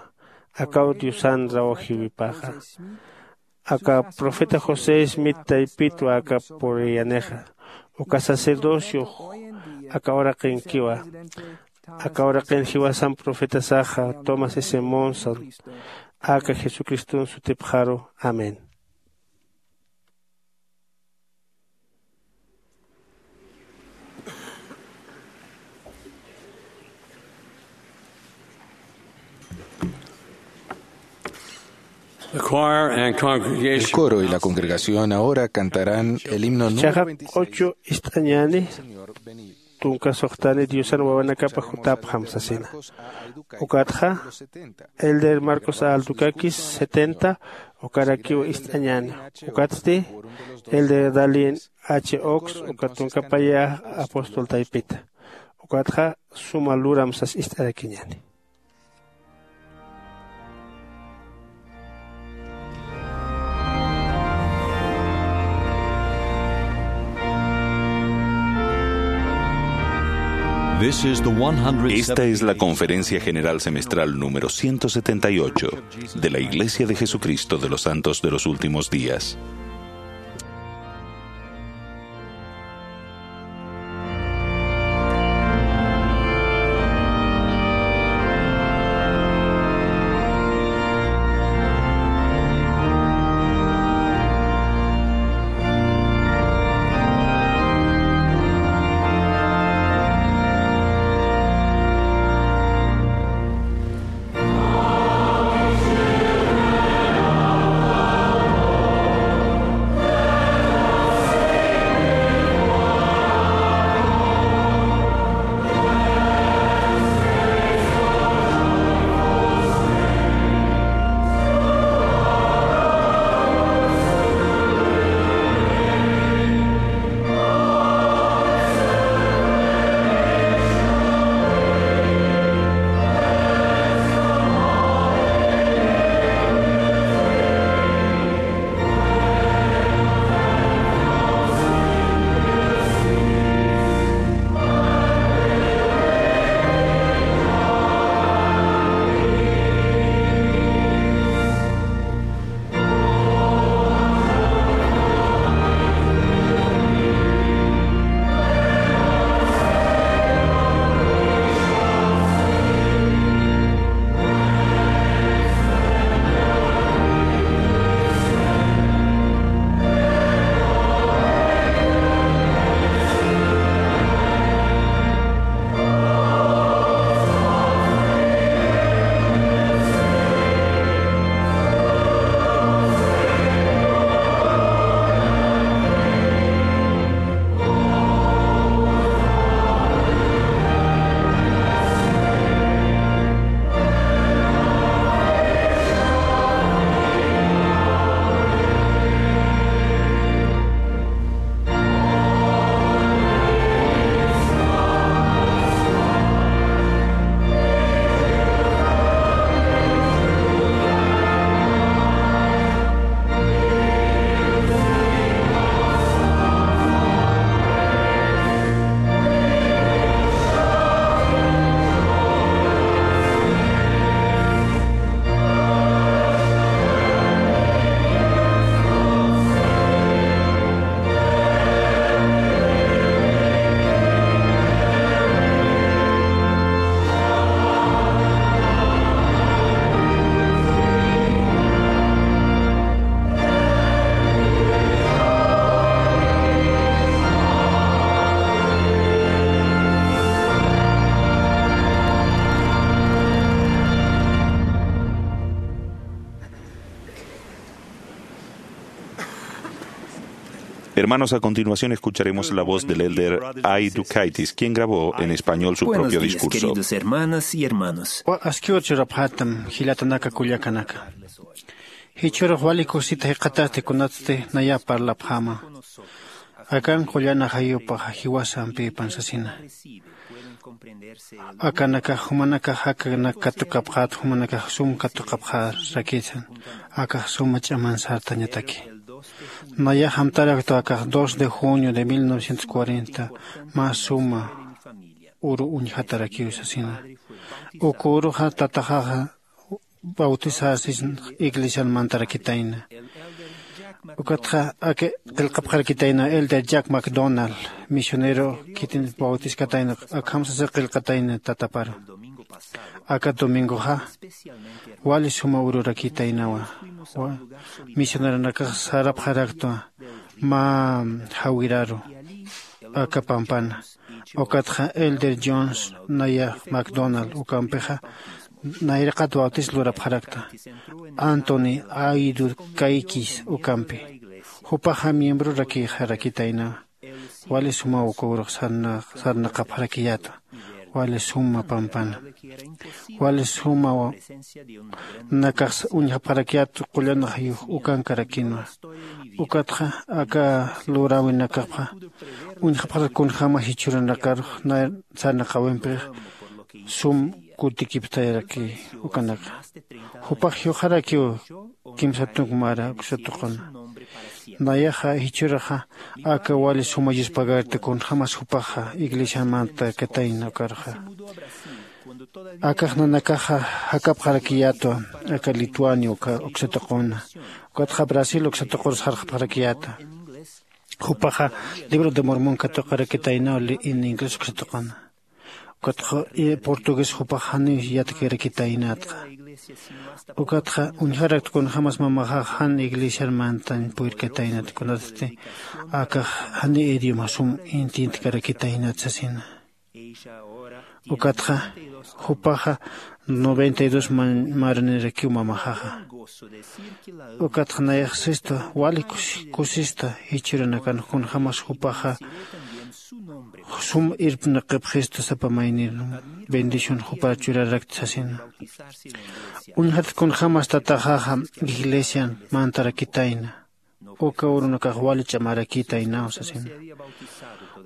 Akaw Diosan rawjiwipaxa. Aka profeta José Smith taypitwa aka puriyanixa. Uka sacerdocio aka uraqinkiwa. Aka uraqin jiwasan profetasaxa Thomas S. Monson, aka Jesucriston sutipxaru. Amén. The choir and congregation. El coro y la congregación ahora cantarán el himno número Chaxa veintiséis. Ocho ist'añani. Tunka suxtani Diosan wawanakapa jutapxam sasina. Ukatxa, Elder Marcos A. Aldukakis, setenta, ukarakiw ist'añani. Ukatsti, Elder Dallin H. Oaks, uka tunka paya apóstol taypita. Ukatxa, suma luram sas ist'arakiñani. This is the one hundred Esta es la Conferencia General Semestral número ciento setenta y ocho de la Iglesia de Jesucristo de los Santos de los Últimos Días. Hermanos, a continuación escucharemos la voz del elder Ay Dukaitis, quien grabó en español su Buenos propio días, discurso. Queridos hermanas y hermanos. Wa askiwar churapxatam jilatanaka kullakanaka. Jichhürux wali kusita jikxatasti kunatsti naya parlapxäma. Akan qullan ajayupaxa jiwasampipan sasina. Akanakax jumanakax akanak katukapxät, jumanakax sum katuqapxärakisan. Akax suma ch'aman sartañataki. Nayax amtaraktu akax dos de junio de mil novecientos cuarenta mä suma uru uñjatarakiw sasina. Uka uruxa tataxaxa bautisasis iglesian mantarakitayna. Ukatxa aka qillqapxarakitayna elder Jack McDonald, misionero khitin bautiskatayna, akham sasa qillqatayna tataparu. Aka domingoxa wali suma ururakitaynawa. Wa misioneronakax sarapxaraktwa mä jawiraru aka pampana. Ukatxa elder Jones naya McDonald ukampixa nayraqat bautis lurapxarakta. Anthony Aidu Kaikis ukampi. Jupaxa miembrorakixarakitaynawa. Wali sumaw uka urux sarna sarnaqapxarakiyätwa. Wali suma pampana. Wali sumaw nakax uñjapxarakiyät qullan ajayux ukankarakinwa. Ukatxa aka luräwinakapxa uñjapxarak kunjämas jichhüranakarux sarnaqäwimpix sum kutikiptayaraki ukanaka. Jupax juyxarakiw kimsa tunk mara uksa tuquna. Nayaxa jichhüraxa aka wali suma yuspagarti kunjämas jupaxa iglesian mantakatayna ukarxa. Akax nanakaxa jakapxarakiyätwa aka Lituania uka uksa tuquna. Ukatxa Brasil uksa tuqur sarxapxarakiyäta. Jupaxa libro de Mormon katuqarakitaynaw li in inglés uksa tuquna. Ukatxa portugués jupax janiw yatkirakitaynatxa. Ukatxa uñjarakt kunjämas mamaxax jan iglesiar mantañ puyrkataynat kunatsti akax janiw idioma sum intintkarakitaynat sasina. Ukatxa jupaxa noventa y dos maranirakiw mamaxaxa. Ukatxa nayax sistu wali kusista jichhüranakan kunjämas jupaxa sum irpnaqipxistu sapa maynir bendición jupar churarakta sasina. Uñjat kunjämas tataxaxa iglesian mantarakitayna. Uka urunakax wali ch'amarakitaynaw sasina.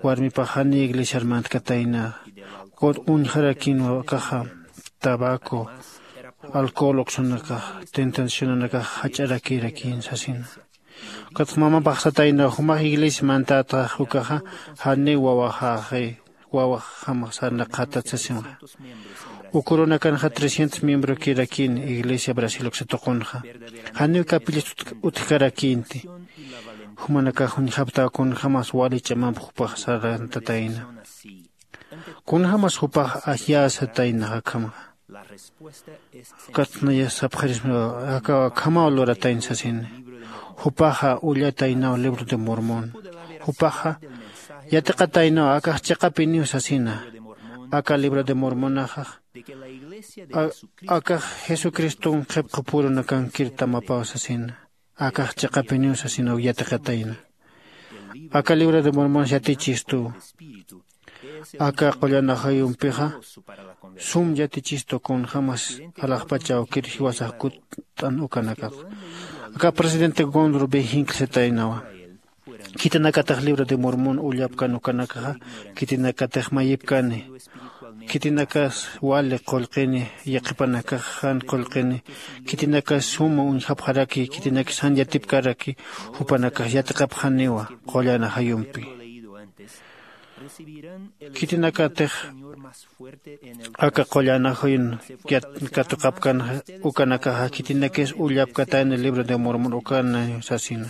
Warmipax janiy iglesiar mantkatayna. Ukat uñjarakinwa akaxa tabaco, alcohol uksanakax tentacionanakax jach'arakirakin sasina. Ukatxa mamapax satayna jumax iglesia mantätax ukaxa janiw wawaxaxi wawaxjamax sarnaqatat sasinxa. Uka urunakanxa trescientos miembrokirakini iglesia Brasil uksa tuqunxa. Janiw capillas utjkarakinti. Jumanakax uñjaptaw kunjämas wali ch'amamp jupax sarantatayna. Kunjämas jupax ajyäsatayna akhamxa. Ukat naya sapxirisma aka akhamaw luratayna sasini. Jupaxa ullataynaw libro de Mormon. Jupaxa yatiqataynaw akax chiqapiniw sasina. Aka libro de Mormonaxax akax Jesucriston qhipqu purunakankir tamapaw sasina. Akax chiqapiniw sasinaw yatiqatayna. Aka libro de Mormon yatichistuw. Aka qullan ajayumpixa sum yatichistu kunjämas alaxpacha awkir jiwasax kutt'an ukanakax. Aka presidente Gondro B jinkl sataynawa. Khitinakatix libro de Mormon ullapkan ukanakaxa khitinakatix mayipkani. Khitinakas wali qullqini, yaqhipanakax jan qullqini. Khitinakas suma uñjapxaraki, khitinakis jan yatipkaraki, jupanakax yatiqapxaniwa qullan ajayumpi. Khitinakatix aka qullan ajayun katuqapkan ukanakaxa khitinakis ullapkatayna libro de Mormon ukana sasina.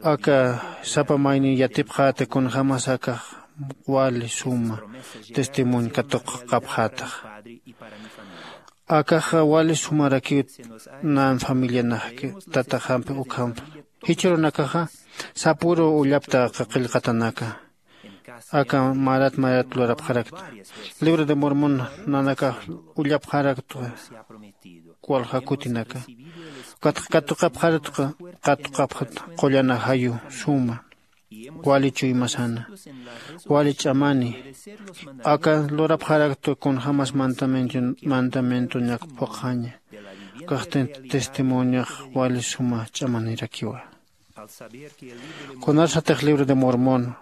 Aka sapa maynin yatipxäta kunjämas akax wali suma testimonio katuqapxätax. Akaxa wali sumarakiw nan familianakki tataxampi ukhampi. Jichhürunakaxa sapüru ullapta aka qillqatanaka. Aka marat marat lurapxarakta. Libro de Mormon nanakax ullapxarakta walja kutinaka. Ukatxa katuqapxarakta, katuqapxat qullana jayu suma wali chuymasana, wali ch'amani. Aka lurapxarakta kunjämas mandamiento, mandamientoñak phuqhaña. Ukax testimoniox wali suma ch'amanirakiwa. Kunarsatix libro de Mormon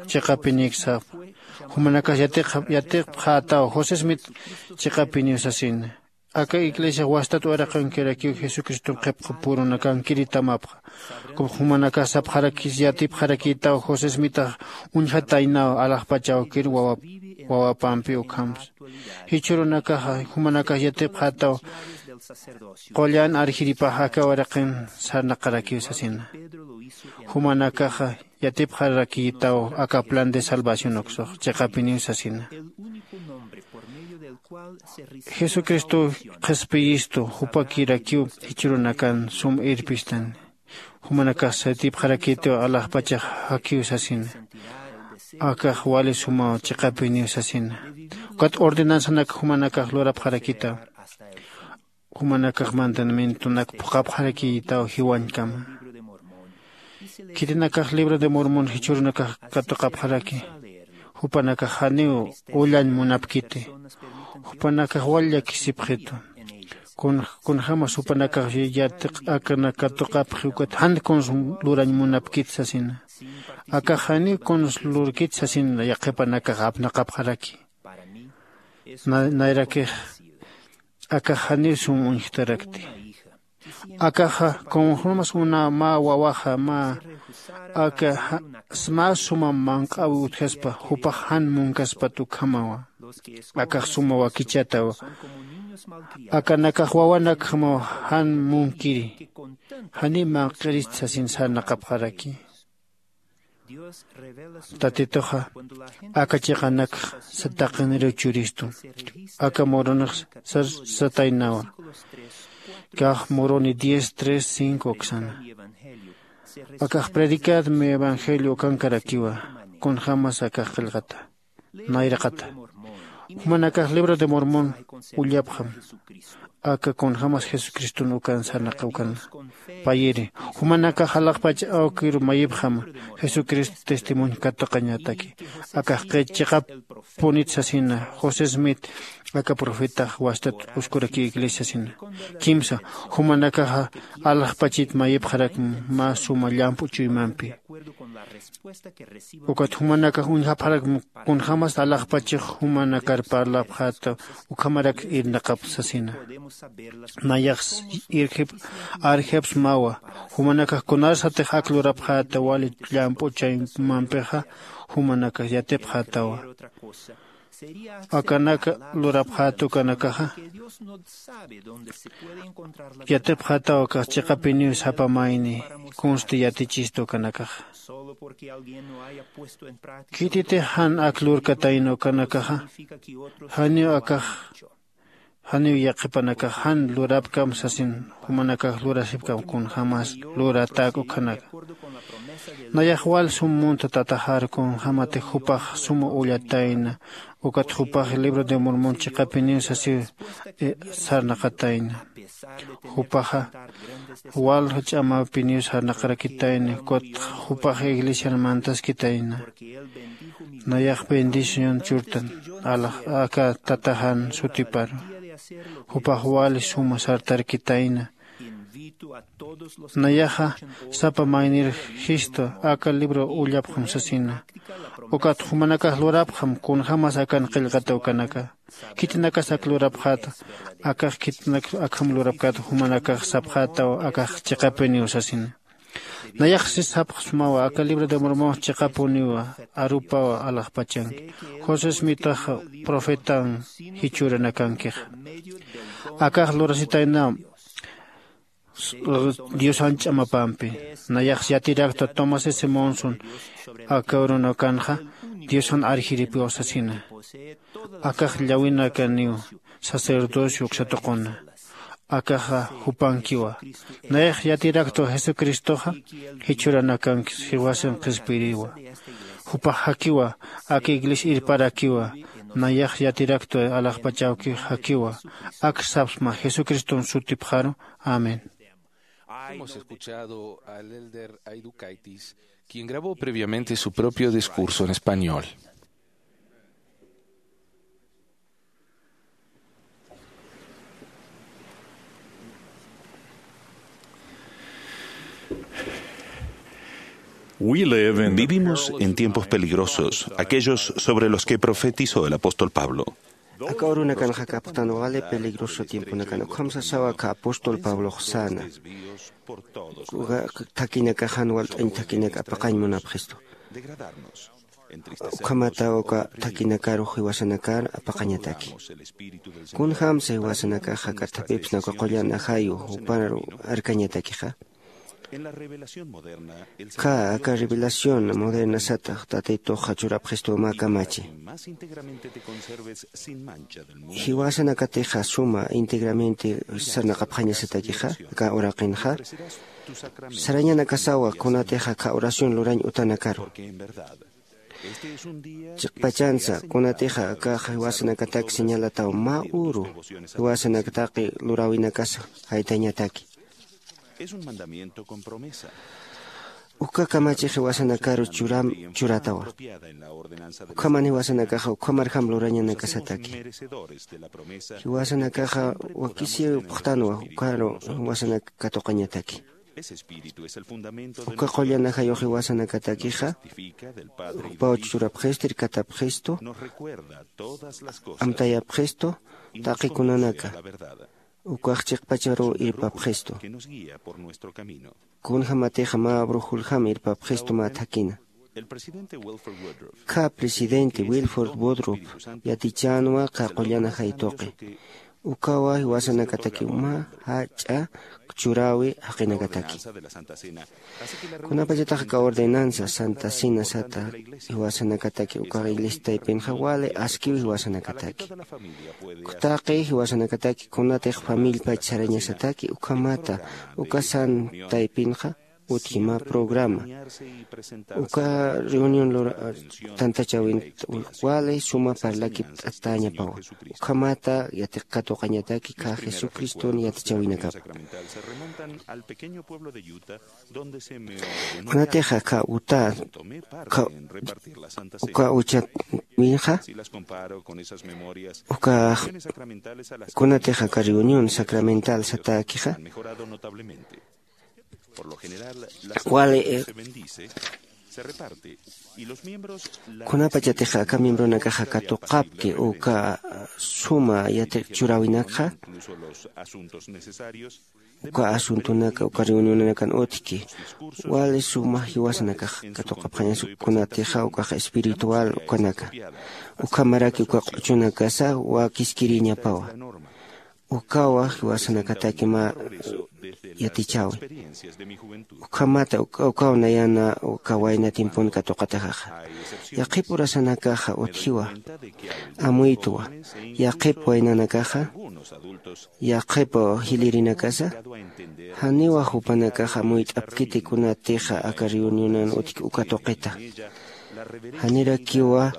chiqapinïk sapa, jumanakax yatiqxa yatiqpxätaw José Smith chiqapiniw sasina. Aka iglesia wastat uraqankirakiw Jesucriston qhipqu purunakankiritamapxa. Jumanakax sapxarakis yatipxarakïtaw José Smithax uñjataynaw alaxpach awkir wawap wawapampi ukhamsa. Jichhürunakaxa jumanakax yatipxätaw qullan arjiripax aka uraqin sarnaqarakiw sasina. Jumanakaxa yatipxarakïtaw aka plan de salvación uksux chiqapiniw sasina. Jesucristow qhispiyistu jupakirakiw jichhürunakan sum irpistani. Jumanakax yatipxarakïtiw alaxpachax jakiw sasina. Akax wali sumaw chiqapiniw sasina. Ukat ordenanzanak jumanakax lurapxarakïtaw. Jumanakax mandamientonak phuqhapxarakïtaw jiwañkama. Khitinakax libro de Mormon jichhürunakax katuqapxaraki. Jupanakax janiw ullañ munapkiti. Jupanakax wal llakisipxitu. Kun kunjämas jupanakax yatiq akanak katuqapxi ukat jan kuns lurañ munapkit sasina. Akax janiw kuns lurkit sasina yaqhipanakax apnaqapxaraki. Nayrakix akax janiw sum uñjtarakti. Akaxa kunjämas una mä wawaxa mä aka mä suma manq'äwi utjaspa jupax jan munkaspat ukhamawa. Akax suma wakichatawa. Akanakax wawanakjamaw jan munkiri. Janiw manq'irist sasin sarnaqapxaraki. Tatituxa aka chiqanakxa taqiniriw churistu. Aka muronix sar sataynawa. Kax muroni diez tres cinco uksana. Akax predicad mi evangelio ukankarakiwa. Kunjämas akax qillqata nayraqata. Jumanakax libro de Mormon ullapxam. Aka kunjämas Jesucriston ukan sarnaqaw ukana. Payiri jumanakax alaxpach awkiru mayipxama. Jesucristo testimonio katuqañataki. Akax qhit chiqapunit sasina José Smith aka profetax wastat uskuraki iglesia sasina. Kimsa jumanakaxa alaxpachit mayipxarakma mä suma llamp'u chuymampi. Ukat jumanakax uñjapxarakma kunjämas alaxpachix jumanakar parlapxäta ukhamarak irnaqap sasina. Nayax irjip arjipsmawa. Jumanakax kunarsatix ak lurapxäta wali llamp'u chaymampixa jumanakax yatipxätawa. Akanak lurapxäta ukanakaxa yatipxätaw akax chiqapiniw sapa mayni kunsti yatichistu ukanakaxa. Khititix jan ak lurkatayna ukanakaxa janiw akax janiw yaqhipanakax jan lurapkam sasin jumanakax lurasipkam kunjämas luratäk ukhanaka. Nayax wal sum munta tataxar kunjämatix jupax suma ullatayna ukat jupax libro de Mormon chiqapiniw sasiw sarnaqatayna. Jupaxa wal ch'amapiniw sarnaqarakitayna ukat jupax iglesian mantaskitayna. Nayax bendición churtan alax aka tataxan sutiparu. Jupax wali suma sartarkitayna. Nayaxa sapa maynir jistu aka libro ullapxam sasina. Ukat jumanakax lurapxam kunjämas akan qillqata ukanaka. Khitinakas ak lurapxäta akax khitinak akham lurapkät jumanakax sapxätaw akax chiqapiniw sasina. Nayax si sapxsmawa aka libro de Mormon chiqapuniwa arupawa alaxpachanki. José Smithaxa profetan jichhüranakankixa. Akax lurasitaynam Diosan ch'amapampi. Nayax yatiraktwa Thomas S. Monson aka urunakanxa Diosan arjiripiw sasina. Akax llawinakaniw sacerdocio uksatuquna. Akaxa jupankiwa. Nayax yatiraktwa Jesucristoxa jichhüranakanki jiwasan qhispiriwa. Jupax jakiwa aka iglesia irparakiwa. Nayax yatiraktwa alaxpach awki jakiwa. Ak sapsma Jesucriston sutipxaru. Amén. Hemos escuchado al elder Aidukaitis, quien grabó previamente su propio discurso en español. Vivimos en tiempos peligrosos, aquellos sobre los que profetizó el apóstol Pablo. Aka urunakanxa kapxtan wali peligroso tiemponakan, ukham sasawa aka apóstol Pablox säna. Uka thakinakaxan walt'añ thakinak apaqañ munapxistu. Ukhamata uka thakinakaru jiwasanakar apaqañataki. Kunjamsa jiwasanakaxa kathapipsna uka qullan ajayu juparu arkañatakixa. Ka aka revelación moderna satax Tatituxa churapxistu mä kamachi. Jiwasanakatixa suma íntegramente sarnaqapxañasatakixa aka uraqinxa. Sarañanakasawa kunatixa aka oración lurañ utanakaru. Chiqpachansa kunatixa aka jiwasanakatak señalataw mä uru jiwasanakataki luräwinakasa jaytañataki. Uka kamachi jiwasanakaru churam churatawa. Ukhaman jiwasanakaxa ukhamarjam lurañanakasataki. Jiwasanakaxa wakisiw phuqtanwa ukaru jiwasanak katuqañataki. Uka qullan ajayux jiwasanakatakixa jupaw churapxistu irkatapxistu amtayapxistu taqi kunanaka. Ukax chiqpacharuw irpapxistu. Kunjämatixa mä brujuljam irpapxistu mä thakina. Kha presidente Wilford Woodruff yatichänwa kha qullan ajay tuqi. Ukawa jiwasanakatakiw mä jach'a churäwi jaqinakataki. Kunapachatax aka ordenanza Santa Cena sata jiwasanakataki uka iglesia taypinxa wali askiw jiwasanakataki. Uka taqi jiwasanakataki kunatix familiapach sarañasataki ukhamata uka san taypinxa utji mä programa. Uka reunión lura tantachäwin wali suma parlakipt'atäñapawa. Ukhamata yatiq katuqañataki kha Jesucriston yatichäwinakapa. Kunatixa kha Utah kha uka uchat winxa uka kunatixa aka reunión sacramental satäkixa wali kunapachatixa aka miembronakaxa katuqapki uka suma yatiq churäwinakxa uka asuntonaka uka reunionanakan utjki wali suma jiwasanakax katuqapxañas kunatixa ukax espiritual ukanaka ukhamaraki uka q'uchunakasa wakiskiriñapawa. Ukawa jiwasanakataki mä yatichäwi. Ukhamata ukaw nayana uka wayna tiempon katuqataxaxa yaqhip urasanakaxa utjiwa amuytwa. Yaqhip waynanakaxa yaqhip jilïrinakasa janiwa jupanakaxa amuyt'apkiti kunatixa aka reunionan utjki uka tuqita. Janirakiwa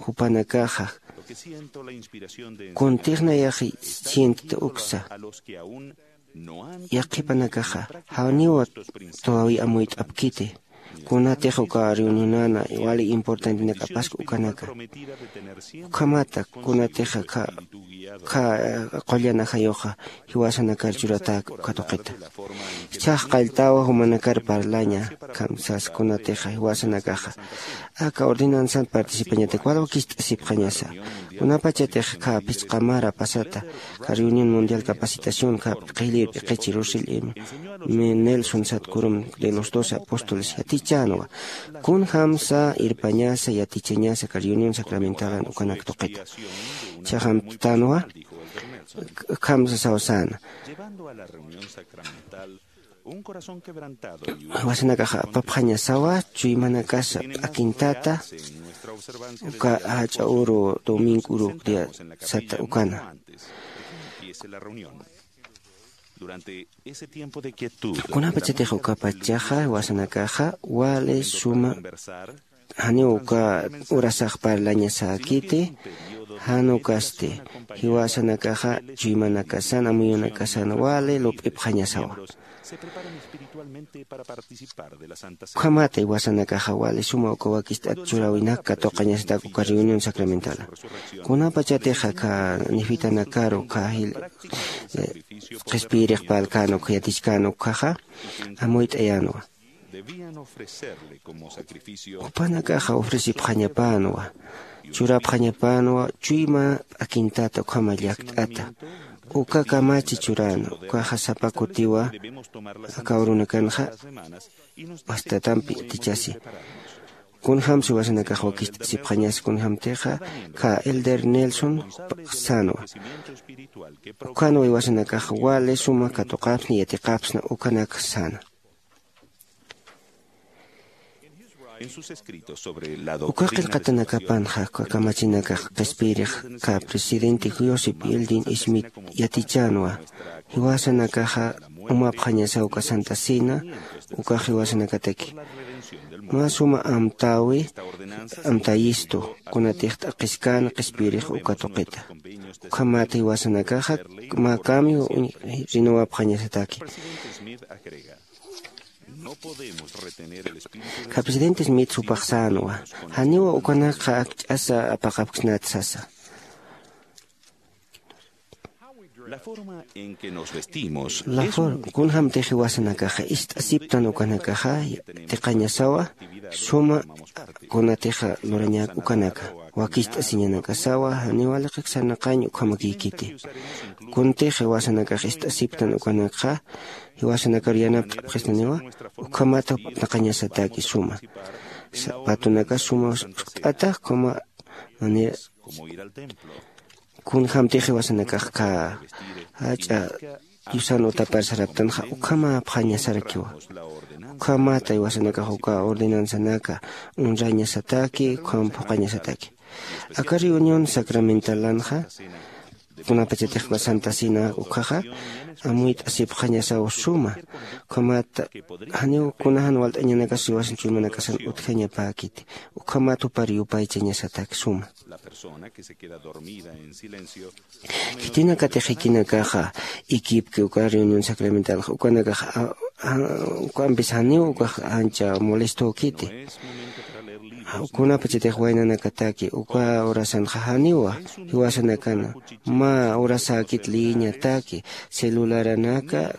jupanakaxa kuntix nayax sientita uksa yaqhipanakaxa janiwa todavía amuyt'apkiti. Kunatix uka reunionana wali importantenakapask ukanaka ukhamata kunatixa kha qullan ajayuxa jiwasanakar churatäk uka tuqita. Jichhax qalltawa jumanakar parlaña kamsas kunatixa jiwasanakaxa aka ordenanzan participañatak wal wakist'asipxañasa. Kunapachatix kha phisqa mara pasata kha reunión mundial capacitación kha qhillir p'iqichi Russell M. Nelson satkurum de los doce apóstoles yatichänwa kunjamsa irpañasa yatichañasa kha reunión sacramentalan ukanak tuqita. Chhaxamtanwa khamsa sawsäna jiwasanakaxa apapxañasawa chuymanakasa p'akintata uka jach'a uru domingo uru dia sata ukana. Kunapachatix ukapachaxa jiwasanakaxa wali suma janiw uka urasax parlañasäkiti jan ukasti jiwasanakaxa chuymanakasan amuyunakasan wali lup'ipxañasawa. Ukhamat iwasanakaxa wali suma uka wakist'at churäwinak katuqañasatak uka reunión sacramentala. Kunapachatix aka nifitanakaru uka jil qhispiyirix parlkän uk yatichkän ukhaxa amuyt'ayänwa. Jupanakaxa ofrecipxañapänwa, churapxañapänwa chuyma p'akintata ukhama llakt'ata. Uka kamachi churän ukaxa sapa kutiwa aka urunakanxa wastatampi yatichasi. Kunjämsa iwasanakax wakicht'asipxañas kunjämtixa kha elder Nelson sänwa. Ukhanwa iwasanakax wali suma katuqapsna yatiqapsna ukanak säna. Uka qillqatanakapanxa uka kamachinakax qhispiyirix kha presidente Joseph Fielding Smith yatichänwa. Jiwasanakaxa umapxañasaw uka Santa Cena ukax jiwasanakataki mä suma amtäwi amtayistu kunatix t'aqhiskän qhispiyirix uka tuqita. Ukhamat jiwasanakaxa mä cambio uñ- rinawapxañasataki. Kha presidente Smith jupax sänwa, janiw ukanakxa akch'asa apaqapksnat sasa. La for kunjämtix jiwasanakaxa ist'asiptan ukanakaxa tiqañasawa suma kunatixa lurañak ukanaka wakicht'asiñanakasawa janiw waliqik sarnaqañ ukhamakïkiti. Kuntix jiwasanakax ist'asiptan ukanakxa jiwasanakar yanapt'apxistaniwa. Ukhamat naqañasataki suma sapatunaka suma jt'ata ukhama manera kunjämtix jiwasanakax kha jach'a diosan utapar saraptanxa ukhamapxañasarakiwa. Ukhamata jiwasanakax uka ordenanzanaka honrañasataki ukham phuqañasataki. Aka reunión sacramentalanxa kunapachatix uka Santa Cena ukhaxa amuyt'asipxañasaw suma. Ukhamata janiw kunajan walt'añanakas jiwasan chuymanakasan utjañapäkiti. Ukhamat jupar yupaychañasatak suma. Khitinakatix jikinakaxa ikipki uka reunión sacramentalxa ukanakax ukampis janiw ukax ancha molestokiti. Kunapachatix waynanakataki uka horasanxa janiwa jiwasanakana mä horasäkit leeñataki celularanaka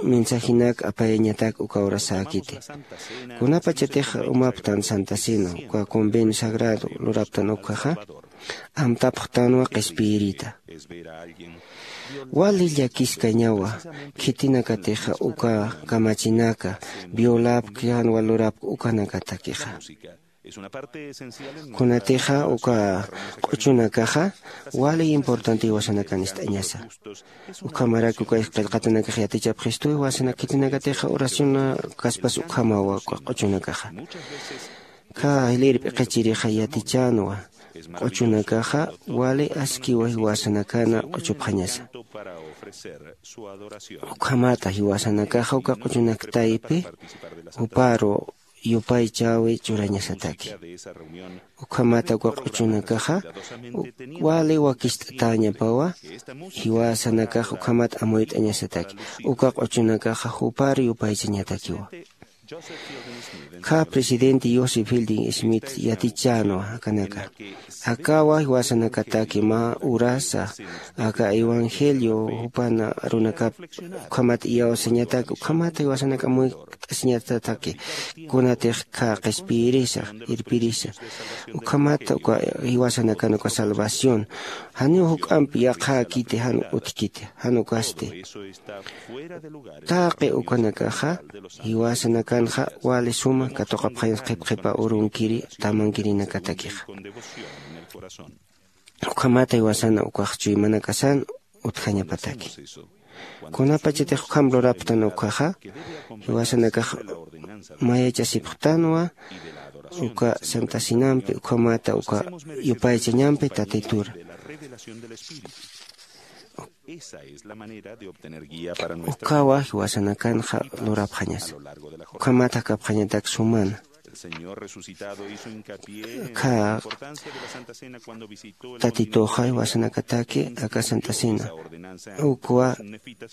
mensajinak apayañatak uka horasäkiti. Kunapachatix umaptan Santa Cena uka convenio sagrado luraptan ukhaxa amtapxtanwa qhispiyirita. Wali llakiskañawa khitinakatixa uka kamachinaka violapki jan walurapki ukanakatakixa. Kunatixa uka q'uchunakaxa wali importante jiwasanakan ist'añasa. Ukhamarak uka qillqatanakax yatichapxistu jiwasanak khitinakatixa oraciona kaspas ukhamawa uka q'uchunakaxa. Kha jilïr p'iqichirixa yatichänwa q'uchunakaxa wali askiwa jiwasanakana q'uchupxañasa. Ukhamata jiwasanakaxa uka q'uchunak taypi juparu yupaychäwi churañasataki. Ukhamata uka q'uchunakaxa wali wakist'atäñapawa jiwasanakax ukhamat amuyt'añasataki. Uka q'uchunakaxa jupar yupaychañatakiwa. Kha presidente Joseph Fielding Smith yatichänwa akanaka akawa jiwasanakataki mä urasa aka evangelio jupan arunakap ukhamat iyawsañatak ukhamat jiwasanaka amuyt'asiñatataki. Kunatix kha qhispiyirisa irpirisa ukhamat uka jiwasanakan uka salvación janiw juk'amp yaqhäkiti jan utjkiti jan ukasti. Taqi ukanakaxa jiwasanakanxa wali suma katuqapxañas qhipqhipa urunkiri tamankirinakatakixa. Ukhamata jiwasana ukax chuymanakasan utjañapataki. Kunapachatix ukham lurapxtan ukhaxa jiwasanakax mayachasipxtanwa uka santasinampi ukhamata uka yupaychañampi tatitura. Ukawa jiwasanakanxa lurapxañasa. Ukhamat jakapxañatak sumana Kha tatituxa iwasanakataki aka Santa Cena ukwa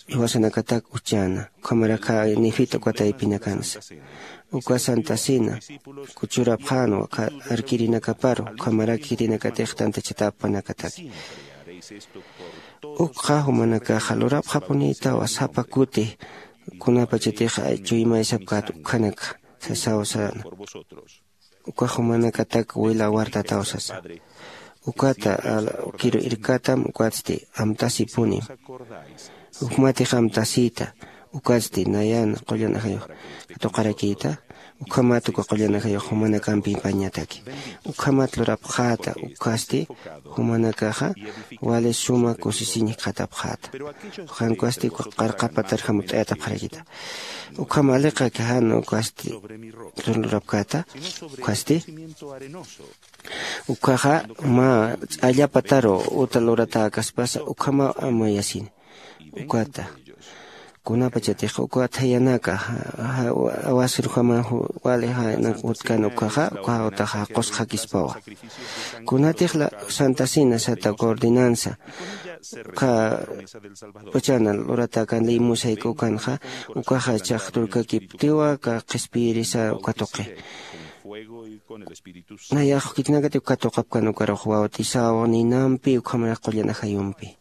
iwasanakatak uchana, ukhamaraka nefita uka taypinakansa. Uka Santa Cena kuchurapxänwa kha arkirinakaparu, ukhamaraki khitinakatix tantachatapanakataki. Ukxa jumanakaxa lurapxapunïtawa sapa kuti kunapachatix chuymaysapkät ukhanaka sasaw säna. Ukax jumanakatak wila wartataw sasa. Ukata kiru irkatam ukatsti amtasipunim. Ukmatix amtasïta ukatsti nayan qullan ajayux katuqarakïta. Ukhamat uka qullan ajayux jumanakampi apañataki. Ukhamat lurapxäta ukasti jumanakaxa wali suma kusisiñ jikxatapxäta. Jan ukasti uka qarqapatar jamut'ayatapxarakïta. Ukham aliqaki jan ukasti lurapkäta. Ukhasti ukhaxa mä ch'allapataru uta luratäkaspasa ukhamaw amuyasini. Ukata kunapachatix uka thayanaka awasirjama wali janak utkan ukhaxa uka utaxa qusqakispawa. Kunatix la Santa Cena sata uka ordenanza ukha pachana luratäkan ley musayka ukanxa ukaxa chaxturkakiptiwa ka qhispiyirisa uka tuqi. Nayax khitinakati uka tuqapkan ukarux bautizaw ninampi ukhamaraq qullan ajayumpi.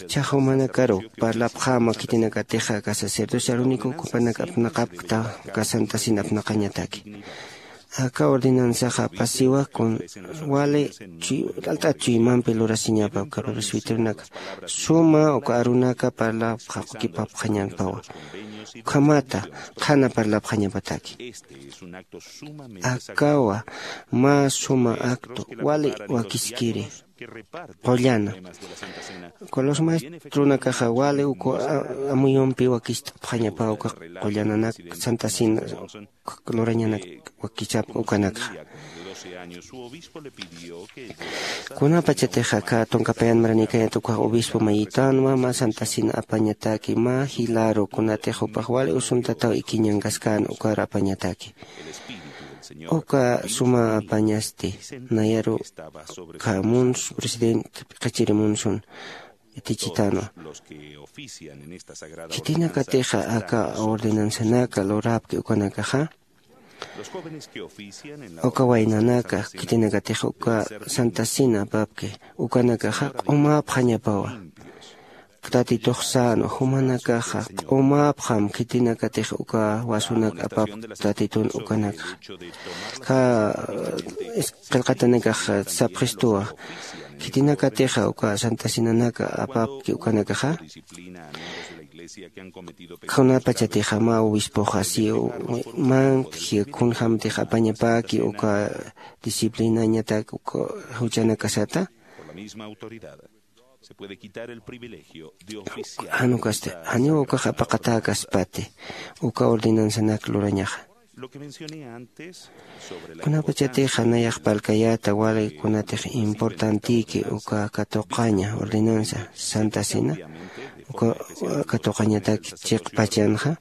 Ichax jumanakaru parlapxäma khitinakatixa aka sacerdocio aruniku ukhapanak apnaqapkta aka Santa Cena apnaqañataki. Aka ordenanzaxa apasiwa kun wali alt'at chuymampi lurasiñapa uka presbiteronaka suma uka arunaka parlapxaqukipapxañapawa. Ukhamata qhana parlapxañapataki. Akawa mä suma acto wali wakiskiri qullana. Uka los maestronakaxa wali uka amuyumpi wakist'apxañapaw uka qullananak Santa Cena lurañanak wakichapka ukanakxa. Kunapachatixa aka tunka payan maranïkañat ukax obispo mayitanwa mä Santa Cena apañataki mä jilaru kunatix jupax wali usuntataw ikiñankaskan ukar apañataki. Uka suma apañasti nayaru khamunsu presidente qhichirimunsun yatichitanwa. Khitinakatixa aka ordenanzanaka lurapki ukanakaxa uka waynanaka khitinakatix uka Santa Cena apapki ukanakaxa q'umäpxañapawa. Tatitux sänwa jumanakaxa q'umäpxam khitinakatix uka wasunak apapk tatitun ukanakaxa. Kha qillqatanakax sapxistuwa khitinakatixa uka Santa Cenanaka apapki ukanakaxa. Kunapachatixa mä obispoxa si mantji kunjämtix apañapäki uka disciplinañatak uka juchanakasata. Jan ukasti janiw ukax apaqatäkaspati uka ordenanzanak lurañaxa. Kunapachatixa nayax parlkayäta wali kunatix importantïki uka katuqaña ordenanza Santa Cena uka katuqañatak chiqpachanxa.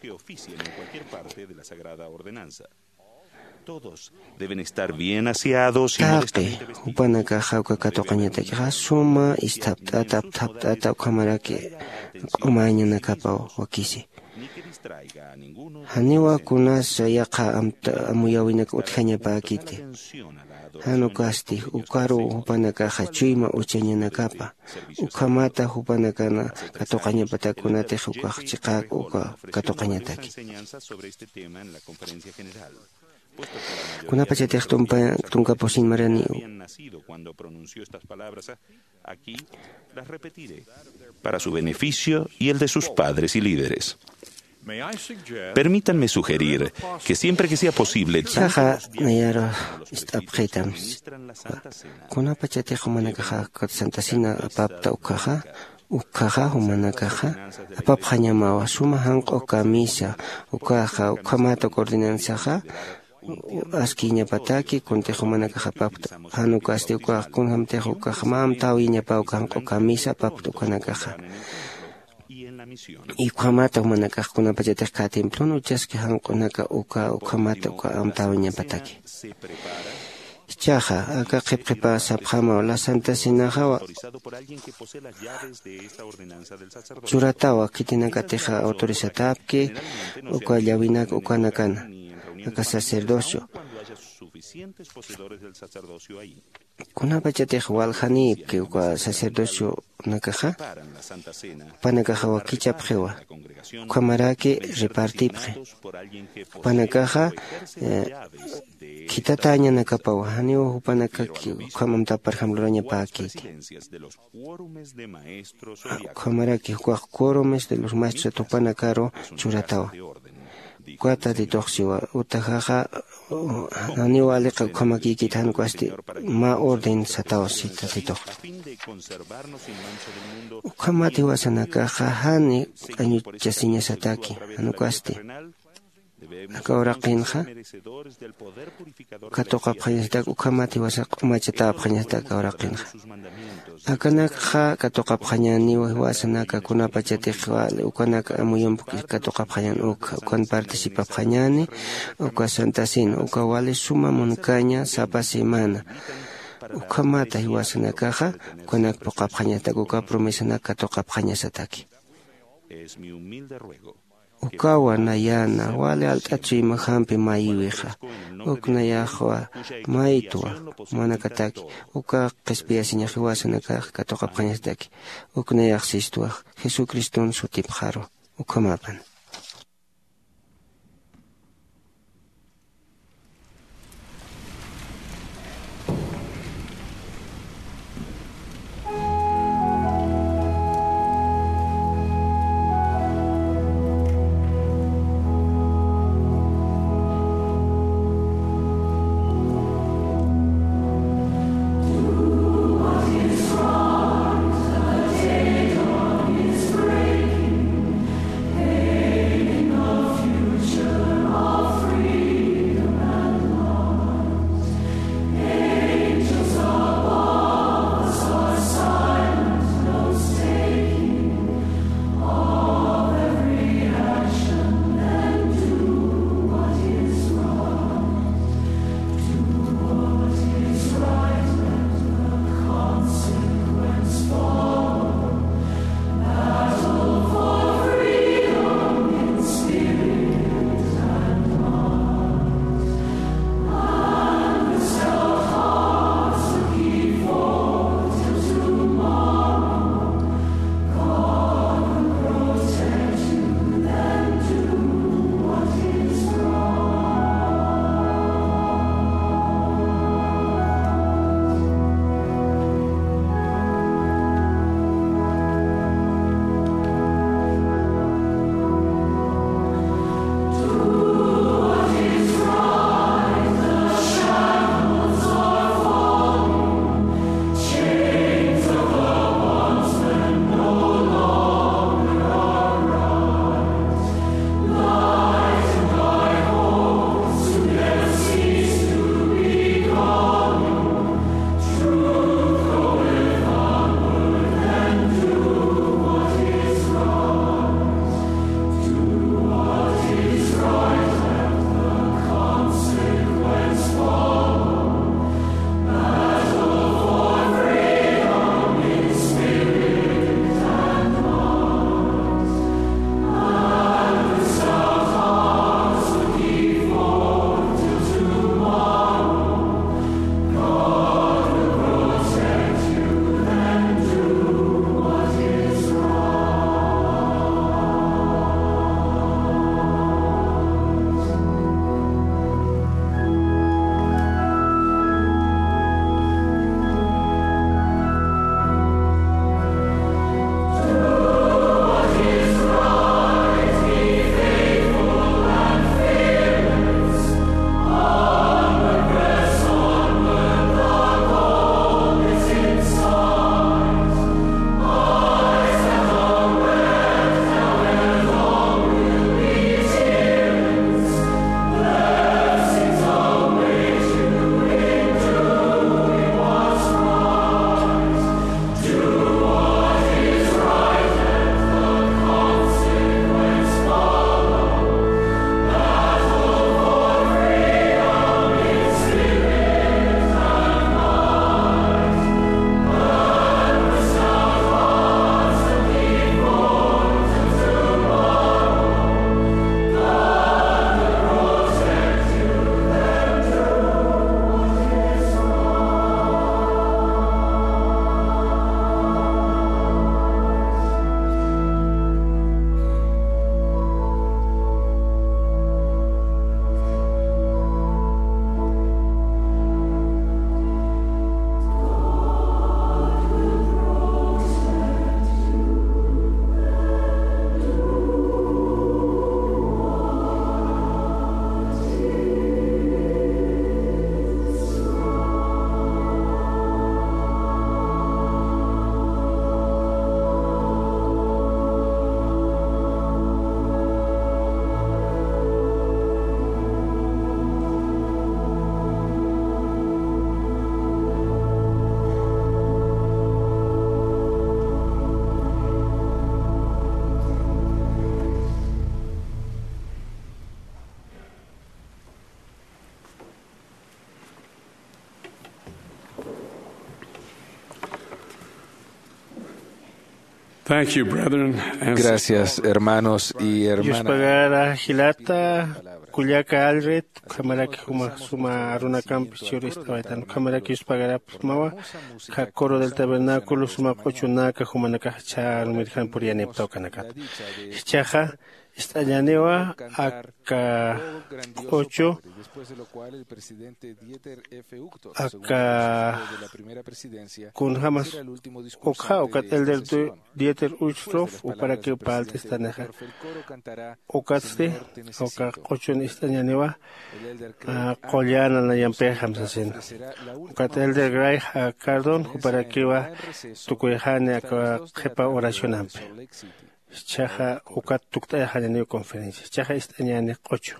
Taqi jupanakaxa uka katuqañatakixa suma isthapt'ata apthapt'ata ukhamaraki q'umañanakapaw wakisi. Janiwa kunasa yaqha amuyäwinak utjañapäkiti. Jan ukasti ukaruw jupanakaxa chuyma uchañanakapa ukhamata jupanakana katuqañapatak kunatix ukax chiqäk uka katuqañataki. Kunapachatix tunka pusin marani para su beneficio y el de sus padres y líderes. Permítanme sugerir que siempre que sea posible, ichaxa nayaru ist'apxitam kunapachatix jumanakaxa Santa Cena apapta ukhaxa ukhaxa jumanakaxa apapxañamawa suma janq'u kamisa ukaxa ukhamata uka ordenanzaxa askiñapataki kuntix jumanakax apapta. Jan ukasti ukax kunjämtix ukax mä amtäwiñapaw janq'u kamisa apapta ukanakaxa. Ukhamata jumanakax kunapachatix kha templon uchaski janq'unaka uka ukhamata uka amtäwiñapataki. Ichaxa aka qhipqhipa sapxamaw la Santa Cenaxawa churatawa khitinakatixa autorizatapki uka llawinak ukanakana aka sacerdocio. Kunapachatix waljanïpki uka sacerdocionakaxa jupanakaxa wakichapxiwa. Ukhamaraki repartipxi jupanakaxa khitatäñanakapawa janiw jupanakaki ukham amtapar ejemplurañapäkiti. Ukhamaraki jukax quorumes de los maestros jupanakaru churatawa. Uka tatituxsiwa utajaxa janiw aliqa ukhamakïkit jan ukasti mä orden satawa si tatitux. Ukhamat jiwasanakaxa jani q'añuchasiñasataki jan ukasti aka uraqinxa katuqapxañasatak ukhamat jiwasa q'umachatäpxañasatak aka uraqinxa. Akanakxa katuqapxañäniw jiwasanaka kunapachatix wali ukanak amuyump katuqapxañän ukxa ukan participapxañäni uka Santa Cena uka wali suma munkaña sapa semana. Ukhamata jiwasanakaxa ukanak puqapxañasatak uka promesanak katuqapxañasataki. Ukawa nayana wali alt'at suymajampi mayiwixa. Uk nayaxwa maytwa jumanakataki uka qhispiyasiñax jiwasanakax katuqapxañasataki. Uk nayax sistwax jesucriston sutipxaru. Ukhamapan. Thank you, brethren and sisters. Gracias, hermanos y hermanas. Yuspagara jilata, kullaka Alred, ukhamaraki juma suma arunakampi churist'awaytan, ukhamaraki yuspagarapxsmawa, kha coro del tabernáculo, suma q'uchunaka, jumanakax ch'armirjan puriyanipta ukanakata. Jichhaxa, ist'añäniwa, aka q'uchu, aka kunjämas ukxa, ukat elder Du-, Dieter Uchtdorf, juparakiw parlt'istanixa. Ukatsti, uka q'uchun ist'añäniwa, a, qullan nayampixam sasina. Ukat elder Gray, a, Cardon, juparakiwa tukuyxani aka qhipa oracionampi. Jichhaxa ukat tukt'ayxañäniw conferencia. Jichhaxa ist'añäni q'uchu.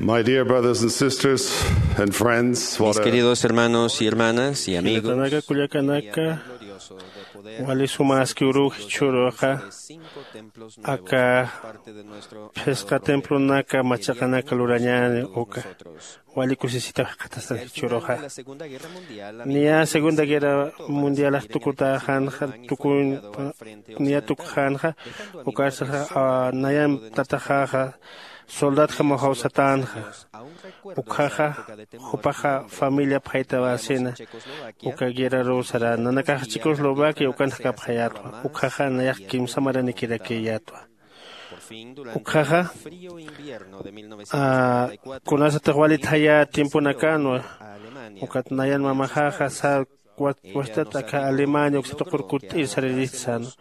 My dear brothers and sisters and friends, what a... Mis queridos hermanos y hermanas y amigos, jilatanaka, kullakanaka, Wali sumaski uruw jichhüruxa aka phisqa templonaka machaqanaka lurañäni uka. Wali kusisitaw jikxatastan jichhüruxa. Niya segunda guerra mundialax tukutäxänxa tukuñ niya tukxänxa. Ukarsaxa nayan tataxäxa soldadjamaw jawsatänxa. Ukxaxa jupaxa familia phaytawäsina. Uka guerraruw saräna nanakax checoslovaquia ukan jakapxayätwa. Ukxaxa nayax kimsa maranikirakïyätwa. Ukxaxa kunasatix wali thaya tiemponakänwa. Ukat nayan mamaxäxa sä wachtat aka alemania uksa tuqur kutt'ir saririst sänwa.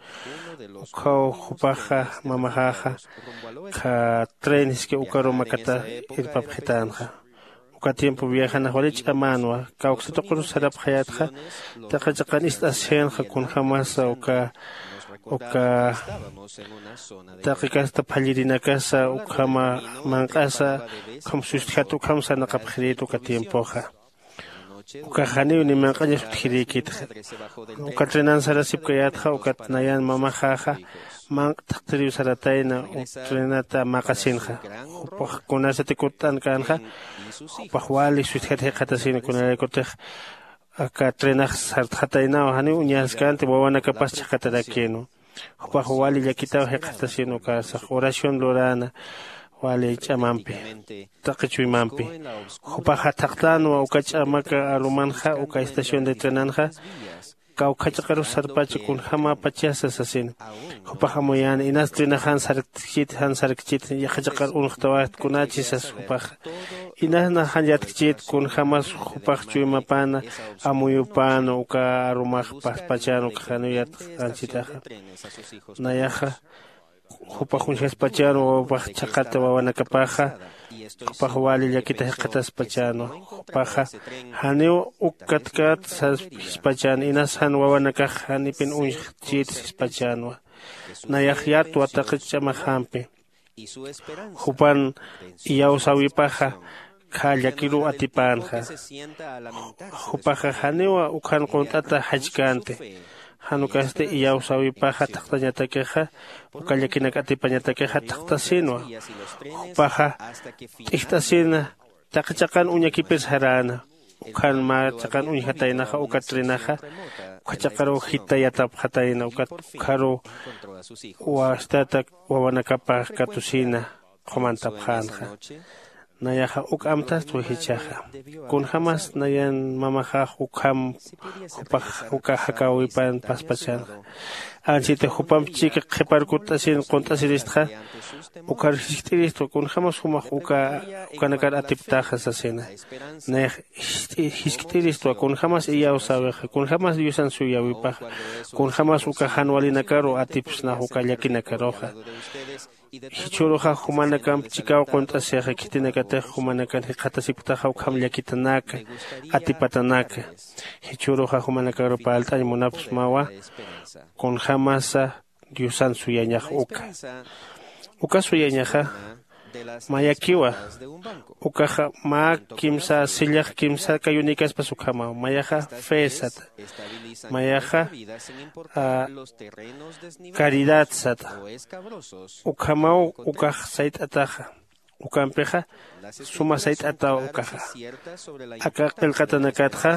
Ukhaw jupaxa mamaxäxa kha tren jiski ukaru makata irpapxitänxa. Uka tiempo viajanax wali ch'amänwa. Kawksa tuqur sarapxayätxa taqi chiqan ist'asjinxa kunjämasa uka uka taqi kasta phallirinakasa ukhama manq'asa ukham sustjat ukham sarnaqapxirït uka tiempoxa. Ukax janiw ni manq'añas utjirïkitxa. Uka trenan sarasipkayätxa ukat nayan mamaxäxa manq'a thaqtiriw saratayna. Trenata maqasinxa jupax kunasati kutt'ankänxa jupax wali sustjat jikxatasina kunaraykutix aka trenax sartxataynaw janiw uñaskänti wawanakapas chhaqatarakïnwa. Jupax wali llakitaw jikxatasin ukasax oración luräna wali ch'amampi taqi chuymampi. Jupaxa thaqtänwa uka ch'amaka arumanxa uka estación de trenanxa kawkhachaqarus sarpacha kunjämäpachasa sasina. Jupax amuyäna inas trenax jan sarkchit jan sarkchit yaqhachaqar unxtawäkt kunächi sas jupaxa. Inas nax jan yatkchit kunjämas jupax chuymapäna amuyupäna uka arumax paspachän uka janiw yatxanchitaxa. Nayaxa jupax uñjaspachänwa wawapax chhaqata wawanakapaxa. Jupax wali llakita jikxataspachänwa. Jupaxa janiw uk katkat saspispachän inas jan wawanakax janipin uñjchït sispachänwa. Nayax yatwa taqi ch'amaxampi. Jupan iyawsäwipaxa khä llakiruw atipänxa. Jupaxa janiw ukhan qunt'ata jachkänti. Jan ukasti iyawsäwipaxa thaqtañatakixa uka llakinak atipañatakixa thaqtasïnwa. Jupaxa t'ijt'asïna taqi chaqan uñakipir saräna. Ukhan mä chaqan uñjataynaxa uka trenaxa ukhachaqaruw jita yatapxatayna ukat ukharuw wastata wawanakapax katusïna qhumantapxänxa. Nayaxa uk amtastwa jichhaxa. Kunjämas nayan mamaxax ukham jupax uka jakäwipan paspachanxa. Anchita jupamp chika qhipar kutt'asin qunt'asiristxa ukhar jiskt'iristwa kunjämas jumax uka ukanakar atiptaxa sasina. Nayax jiskt'iristwa kunjämas iyawsäwixa kunjämas diosan suyäwipaxa kunjämas uka jan walinakaru atipsnax uka llakinakaruxa. Jichhüruxa jumanakamp chikaw qunt'asixa khitinakatix jumanakan jikxatasipktaxa ukham llakitanaka atipatanaka. Jichhüruxa jumanakaru parlt'añ munapsmawa kunjämasa diosan suyañax uka. Uka suyañaxa mayakiwa. Ukaxa mä kimsa sillax kimsa kayunikaspas ukhamaw mayaxa fe sata. Mayaxa caridad sata. Ukhamaw ukax sayt'ataxa. Ukampixa suma sayt'ataw ukaxa. Aka qillqatanakatxa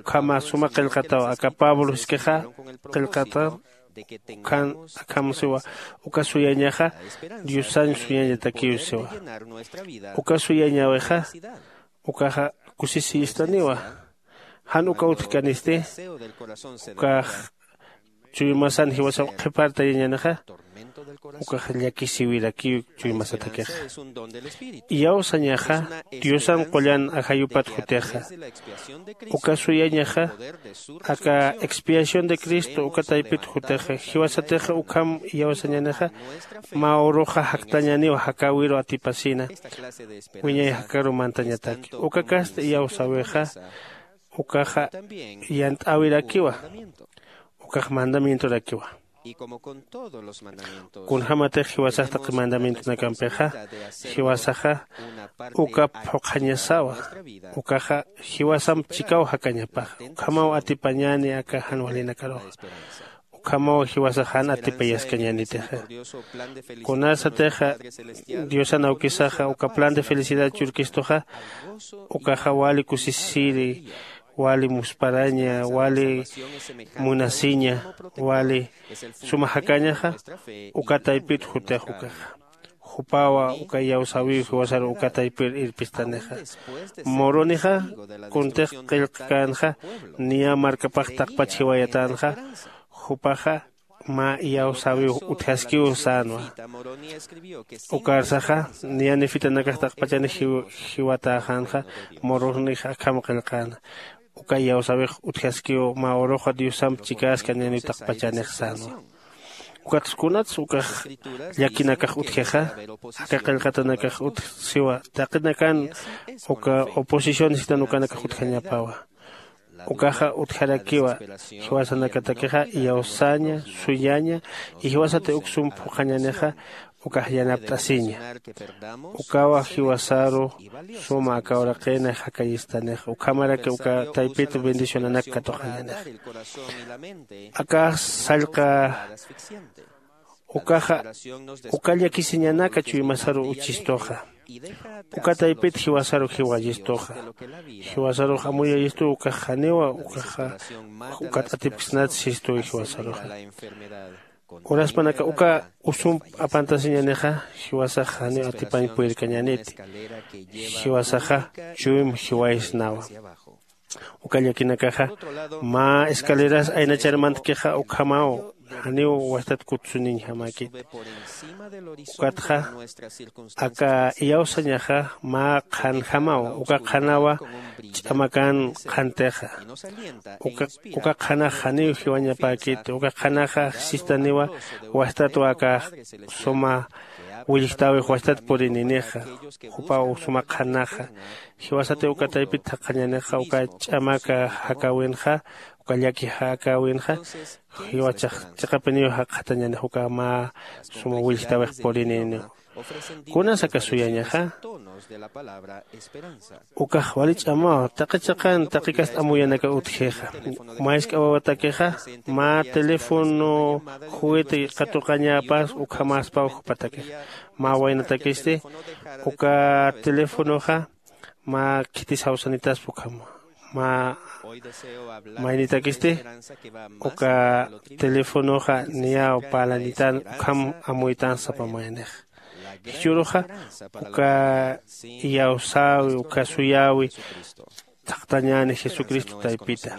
ukhama suma qillqataw aka pablo jiskixa qillqataw. Ukhan akham siwa uka suyañaxa diosañ suyañatakiw siwa. Uka suyañäwixa ukaxa kusisiyistaniwa. Jan uka utjkanisti ukax chuymasan jiwasaw qhipartayañänixa ukax llakisiwirakiw. Chuymasatakixa iyawsañaxa diosan qullan ajayupat jutixa. Uka suyañaxa aka expiación de cristo uka taypit jutixa jiwasatixa ukham iyawsañänixa mä uruxa jaktañäniw jakäwiru atipasina. Wiñay jakaru mantañataki uka kasta iyawsäwixa ukaxa yant'äwirakiwa. Ukax mandamientorakiwa. Kunjämatix jiwasax taqi mandamientonakampixa jiwasaxa uka phuqhañasawa. Ukaxa jiwasamp chikaw jakañapaxa ukhamaw atipañäni aka jan walinakaruxa. Ukhamaw jiwasax jan atipayaskañänitixa. Kunasatixa diosan awkisaxa uka plan de felicidad churkistuxa ukaxa wali kusisiri, wali musparaña, wali munasiña, wali suma jakañaxa uka taypit jutix ukaxa. Jupawa uka iyawsäwiw jiwasaru uka taypir irpistanixa. Murunixa kuntix qillqkänxa niya markapax taqpach jiwayatänxa. Jupaxa mä iyawsäwiw utjaskiw sänwa. Ukarsaxa niya nefitanakax taqpachani jiwatäxänxa. Murunix akham qillqäna uka iyawsäwix utjaskiw mä uruxa diosamp chikäskañäniw taqpachanix sänwa. Ukatsa kunatsa ukax llakinakax utjixa aka qillqatanakax utj siwa taqinakan uka oposición sitan ukanakax utjañapawa. Ukaxa utjarakiwa jiwasanakatakixa iyawsaña, suyaña, y jiwasati uk sum phuqhañanixa ukax yanapt'asiña. Ukawa jiwasaru suma aka uraqinix jakayistanixa ukhamaraki uka taypit bendicionanak katuqañanix. Akax sallqa ukaxa uka llakisiñanaka chuymasaru uchistuxa. Uka taypit jiwasaru jiwayistuxa. Jiwasarux amuyayistu ukax janiwa ukaxa ukat atipksnat sistuwi jiwasaruxa. Uraspanaka uka usump apantasiñanixa jiwasax janiw atipañ puyirkañäniti. Jiwasaxa chuym jiwaysnawa. Uka llakinakaxa mä escaleras aynachar mantkixa ukhamaw janiw wastat kutsuniñjamäkiti. Ukatxa aka iyawsañaxa mä qhanjamaw uka qhanawa ch'amakan qhantixa. Uka qhanax janiw jiwañapäkiti uka qhanaxa sistaniwa wastatwa aka suma willjtäwix wastat purininixa. Jupaw suma qhanaxa jiwasati uka taypit thaqhañanixa uka ch'amaka jakäwinxa uka llaki jakäwinxa jiwachax chiqapiniw jakxatañanix uka mä suma willjtäwix purininiw. Kunas aka suyañaxa ukax wali ch'amaw taqi chiqan taqi kast amuyanaka utjixa. Mä jisk'a wawatakixa mä teléfono juguete katuqañäpas ukhamäspaw jupatakixa. Mä waynatakisti uka teléfonoxa mä khitis jawsanitaspa ukhama. Mä maynitakisti uka teléfonoxa niyaw parlañitän ukham amuytän sapa mayanix. Jichhüruxa uka iyawsäwi uka suyäwi thaqtañäni jesucristo taypita.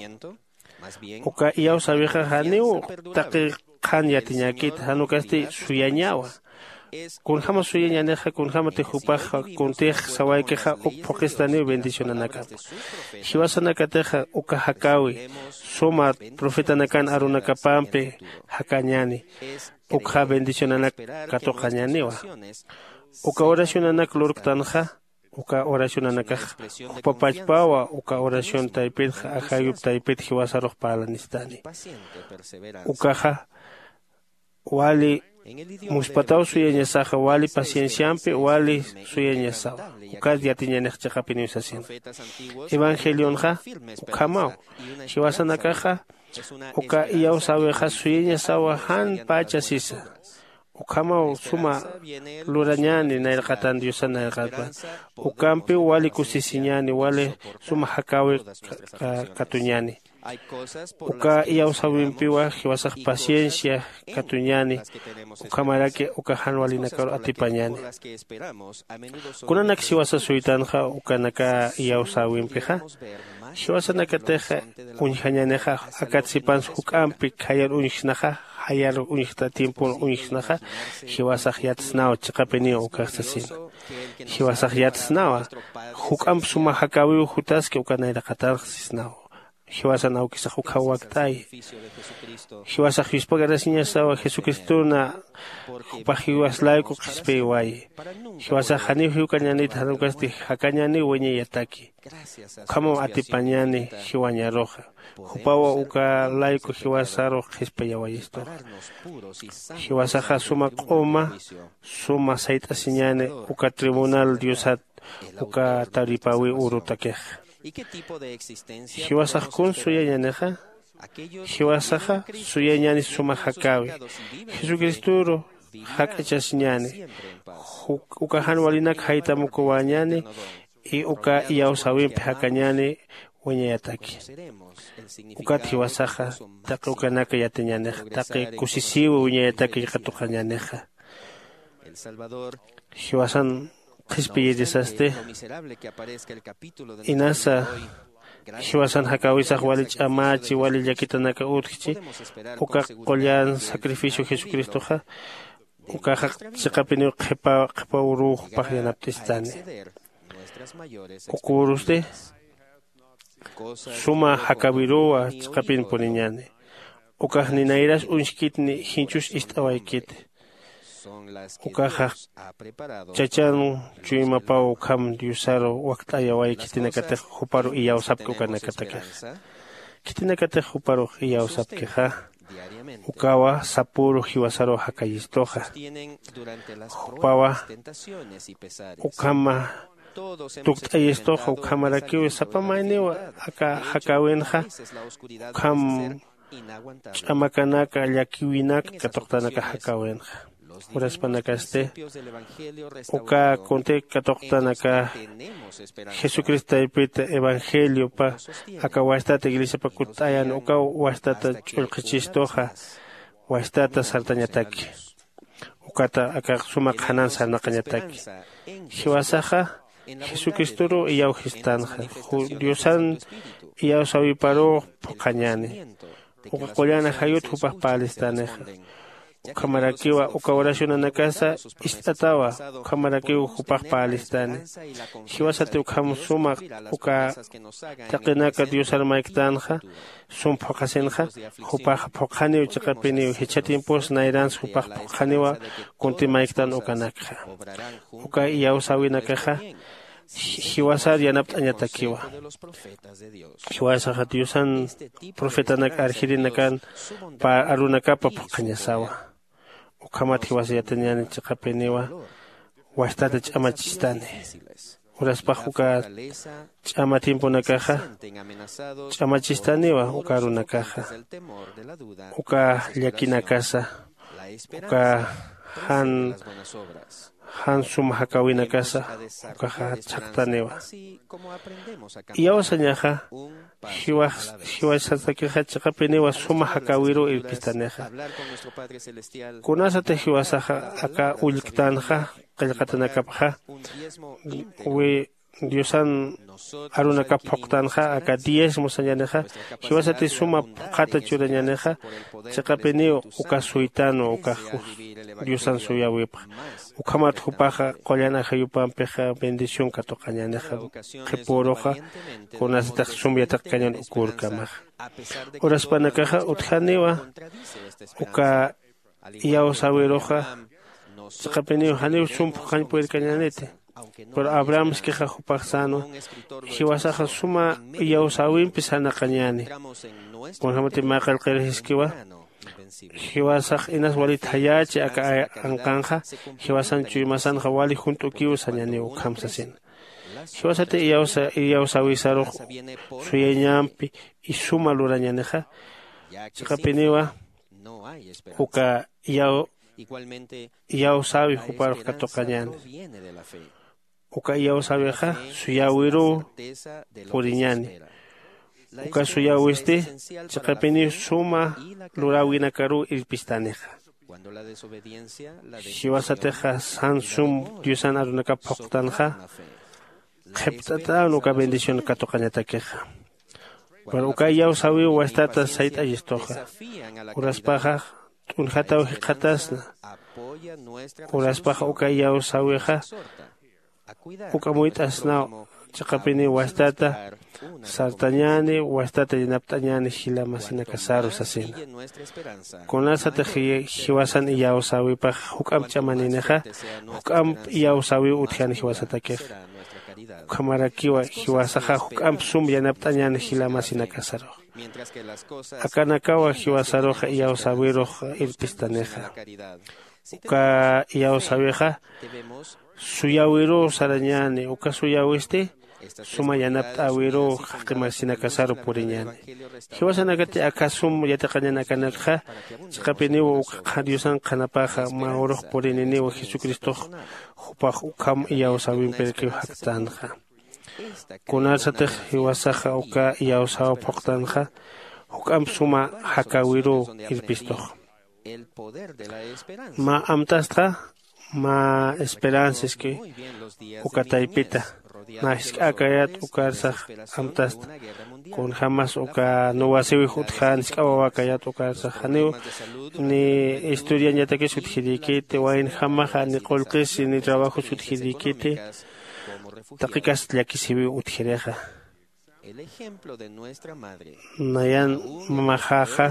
Uka iyawsäwixa janiw taqi qhan yatiñäkita jan ukasti suyañawa. Kunjäma suyañänixa kunjämati jupax kuntix sawaykixa uk phuqhistaniw bendicionanakapa. Jiwasanakatixa uka jakäwi suma profetanakan arunakapampi jakañäni ukxa bendicionanak katuqañäniwa. Uka oracionanak lurktanxa uka oracionanakax jupapachpawa uka oración taypitxa ajayup taypit jiwasarux parlanistani. Ukaxa wali muspataw suyañasaxa wali pacienciampi wali suyañasawa. Ukat yatiñanix chiqapiniw sasina evangelionxa ukhamaw. Jiwasanakaxa uka iyawsäwixa suyañasawa jan pacha sisa. Ukhamaw suma lurañäni nayraqatan diosan nayraqatwa. Ukampiw wali kusisiñäni wali suma jakäwi katuñäni. Uka iyawsäwimpiwa jiwasax paciencia katuñäni. Ukhamaraki uka jan walinakaru atipañäni. Kunanaks jiwasa suytanxa ukanaka iyawsäwimpixa jiwasanakatix uñjañänixa akat sipans juk'ampi khayar uñjsnaxa jayar uñjta tiempor uñjsnaxa. Jiwasax yatsnaw chiqapiniw ukax sasina. Jiwasax yatsnawa juk'amp suma jakäwiw jutaski uka nayraqatanx sisnaw. Jiwasan awkisax ukham wakt'ayi. Jiwasax yuspagarasiñasawa jesucristona jupax jiwas layku qhispiyawayi. Jiwasax janiw jiwkañänit jan ukasti jakañäniw wañayataki. Ukhamaw atipañäni jiwañaruxa. Jupawa uka layku jiwasarux qhispiyawayistuxa. Jiwasaxa suma q'uma suma sayt'asiñäni uka tribunal diosat uka taripäwiw urutakixa. Jiwasax kun suyañänixa? Jiwasaxa suyañäni suma jakäwi jesucristoru jak'achasiñäni. Uka jan walinak jaytamukuwäñäni y uka iyawsäwimpi jakañäni wiñayataki. Ukat jiwasaxa taqi ukanaka yatiñänixa taqi kusisïwi wiñayataki katuqañänixa. Jiwasan qhispiyirisasti inasa jiwasan jakäwisax wali ch'amächi wali llakitanaka utjchi. Uka qullan sacrificio jesucristoxa ukaxa chiqapiniw qhipa qhipa uruw jupax yanapt'istani. Uka urusti suma jakäwiruwa chiqapinpuniñäni. Ukax ni nayras uñjkit ni jinchus ist'awaykit. Ukaxa chachan chuymapaw ukham diosaru wakt'ayaway khitinakatix juparu iyawsapki ukanakatakixa. Khitinakatix juparux iyawsapkixa ukawa sapüru jiwasaruw jakayistuxa. Jupawa ukhama tukt'ayistuxa ukhamarakiw sapa mayniw aka jakäwinxa ukham ch'amakanaka llakiwinak katuqtanaka jakäwinxa. Uraspanakasti uka kunti katuqtanaka jesucristo taypita evangeliopa aka wastata iglesiapa kutt'ayan ukaw wastata ch'ullqhichistuxa. Wastata sartañataki ukata aka suma qhanan sarnaqañataki. Jiwasaxa jesucristoruw iyawjistanxa diosan iyawsäwiparuw phuqhañäni. Uka qullan ajayut jupax parlistanixa. Ukhamarakiwa uka oracionanakasa ist'atawa. Ukhamarakiw jupax parlistani. Jiwasati ukham suma uka taqinaka diosar mayktanxa sum phuqhasinxa jupax phuqhaniw chiqapiniw jichha tiempos nayrans jupax phuqhaniwa. Kunti mayktan ukanakxa uka iyawsäwinakaxa jiwasar yanapt'añatakiwa. Jiwasaxa diosan profetanak arjirinakan pä arunakapa phuqhañasawa. Ukhamat jiwasa yatiñäni chiqapiniwa wastata ch'amachistani. Uraspax uka ch'ama tiemponakaxa ch'amachistaniwa uka arunakaxa uka llakinakasa uka jan jan sum jakäwinakasa ukaxa chhaqtaniwa. Iyawsañaxa jiwasasakixa chiqapiniwa suma jakäwiruw irpistanixa. Kunasatix jiwasaxa aka ullktanxa qillqatanakapxa diosan arunakap phuqtanxa aka diezmo sañänixa jiwasati suma phuqhata churañänixa. Chiqapiniw uka suytanwa ukax diosan suyäwipxa. Ukhamat jupaxa qullan ajayupampixa bendición katuqañänixa qhipüruxa kunasatix sum yatiqkañän uk urkamaxa. Uraspanakaxa utjaniwa uka iyawsäwiruxa chiqapiniw janiw sum phuqhañ purirkañäniti. Pero abrahamskixa jupax sänwa jiwasaxa suma iyawsäwimpi sarnaqañäni. Kunjämati mä qillqir jiskiwa jiwasax inas wali thayächi aka anqanxa jiwasan chuymasanxa wali junt'ukiw sañäniw ukham sasina. Jiwasati iyawsäwisarux suyañampi isuma lurañänixa chiqapiniwa uka iyaw iyawsäwi juparux katuqañäni. Uka iyawsäwixa suyäwiruw puriñäni. Uka suyäwisti chiqapiniw suma luräwinakaruw irpistanixa. Jiwasatixa jan sum diosan arunakap phuqtanxa qhipt'at'äwna uka bendición katuqañatakixa. Pero uka iyawsäwiw wastata sayt'ayistuxa. Uraspaxa t'unjataw jikxatasna. Uraspaxa uka iyawsäwixa uk'amuyt'asnaw. Chiqapiniw wastata sartañäni, wastata yanapt'añäni jila masinakasaru sasina. Kunasatix ji- jiwasan iyawsäwipax juk'amp ch'amaninixa, juk'amp iyawsäwiw utjani jiwasatakixa. Ukhamarakiwa jiwasaxa juk'amp sum yanapt'añäni jila masinakasarux. Akanakawa jiwasaruxa iyawsäwirux irpistanixa. Uka iyawsäwixa suyäwiruw sarañäni, uka suyäwisti suma yanapt'äwiruw jaqi masinakasaru puriñäni. Jiwasanakati aka sum yatiqañäni akanakxa, chiqapiniw uka qha- Diosan qhanapaxa mä urux purininiw Jesucristox jupax ukham iyawsäwimpirakiw jaktänxa. Kunasatix jiwasaxa uka iyawsäw phuqtanxa, juk'amp suma jakäwiruw irpistux. Mä amtastxa, mä esperanza iski uka taypita. Mä jisk'äkayät ukarsax amtasta. Kunjämas uka nuwasiwix utjän jisk'a wawäkayät ukarsax. Janiw ni estudiañatakis utjirïkiti, waynjamaxa ni qullqisi ni trabajos utjirïkiti, taqi kast llakisïwiw utjirixa. Nayan mamaxaxa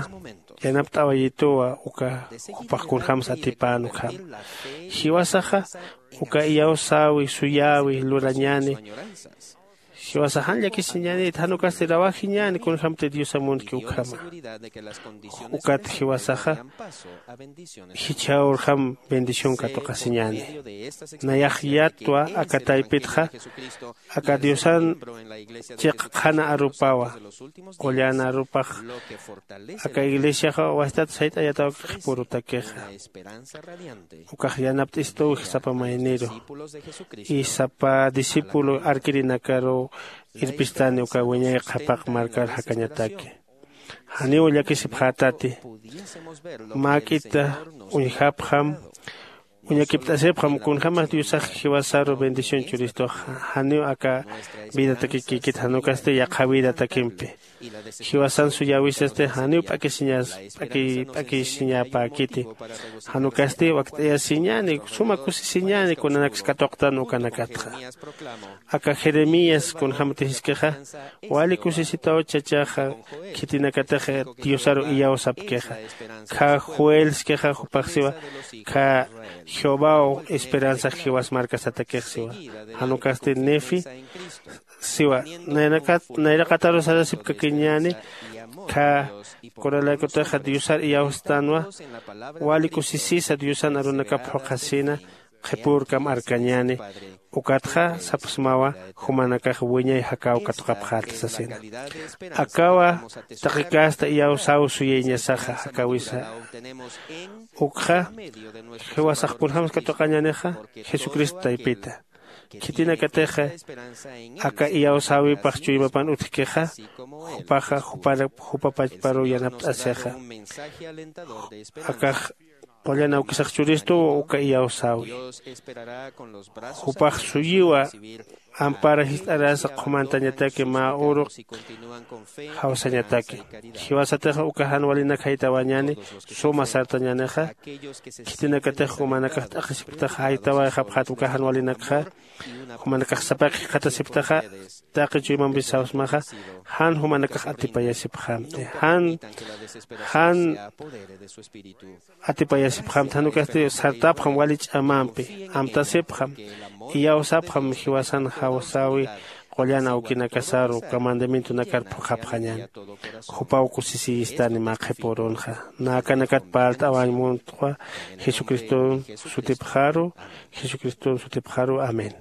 yanapt'awayituwa uka jupax kunjämsa atipän ukham. Jiwasaxa uka iyawsäwi, suyäwi lurañäni. Jiwasax jan llakisiñäniti, jan ukasti trabajiñäni kunjämti Diosa munki ukhama. Ukat jiwasaxa jichha urjam bendición katuqasiñäni. Nayax yatwa aka taypitxa, aka Diosan chiq qhana arupawa, qullan arupax, aka iglesiaxa wastat sayt'ayataw qhipürutakixa. Ukax yanapt'istuw sapa mayniru, y sapa discípulo arkirinakaruw irpistani uka wiñay qhapaq markar jakañataki. Janiw llakisipxätati. Mäk'ita uñjapxam, uñakipt'asipxam, kunjämas Diosax jiwasaru bendición churistux, janiw aka vidatakikïkit, jan ukasti yaqha vidatakimpi. Jiwasan suyäwisasti janiw p'akisiñas-, p'aki-, p'akisiñapäkiti. Jan ukasti wakt'ayasiñäni, suma kusisiñäni kunanaks katuqtan ukanakatxa. Aka Jeremías kunjämti jiskixa, wali kusisitaw chachaxa, khitinakatix Diosaru iyawsapkixa. Khä Joel jiskixa jupax siwa, khä Jehovaw esperanzax jiwas markasatakix siwa. Jan ukasti Nefi siwa, nayrakat-, nayraqataru sarasipkakiñäni, khä kunalaykutixa Diosar iyawstänwa, wali kusisisa Diosan arunakap phuqhasina, qhipürkam arkañäni, ukatxa sapxsmawa jumanakax wiñay jakäw katuqapxäta sasina. Akawa taqi casta iyawsäw suyayñasaxa jakäwisa. Ukxa jiwasax kunjämsa katuqañänixa, Jesucristo taypita. Khitinakatixa aka iyawsäwipax chuymapan utjkixa, jupaxa jupara-, jupa pachparuw yanapt'asixa. Akax qullan awkisax churistuw uka iyawsäwi. Jupax suyiwa ampara jist'arasa qhumantañataki mä uru jawsañataki. Jiwasatix uka jan walinak jaytawañäni, suma sartañänixa, khitinakatix jumanakax t'aqhisipktaxa jaytawayxapxät uka jan walinakxa, jumanakax sapaq jikxatasipktaxa, taqi chuymampi sawsmaxa, jan jumanakax atipayasipxamti, jan, jan atipayasipxamti, jan ukasti sartapxam wali ch'amampi, amtasipxam, iyawsapxam jiwasan jawsäwi qullan awkinakasaru, uka mandamientonakar phuqhapxañän. Jupaw kusisiyistani mä qhipürunxa. Nä akanakat parlt'awañ muntwa, Jesucriston sutipxaru, Jesucriston sutipxaru. Amén.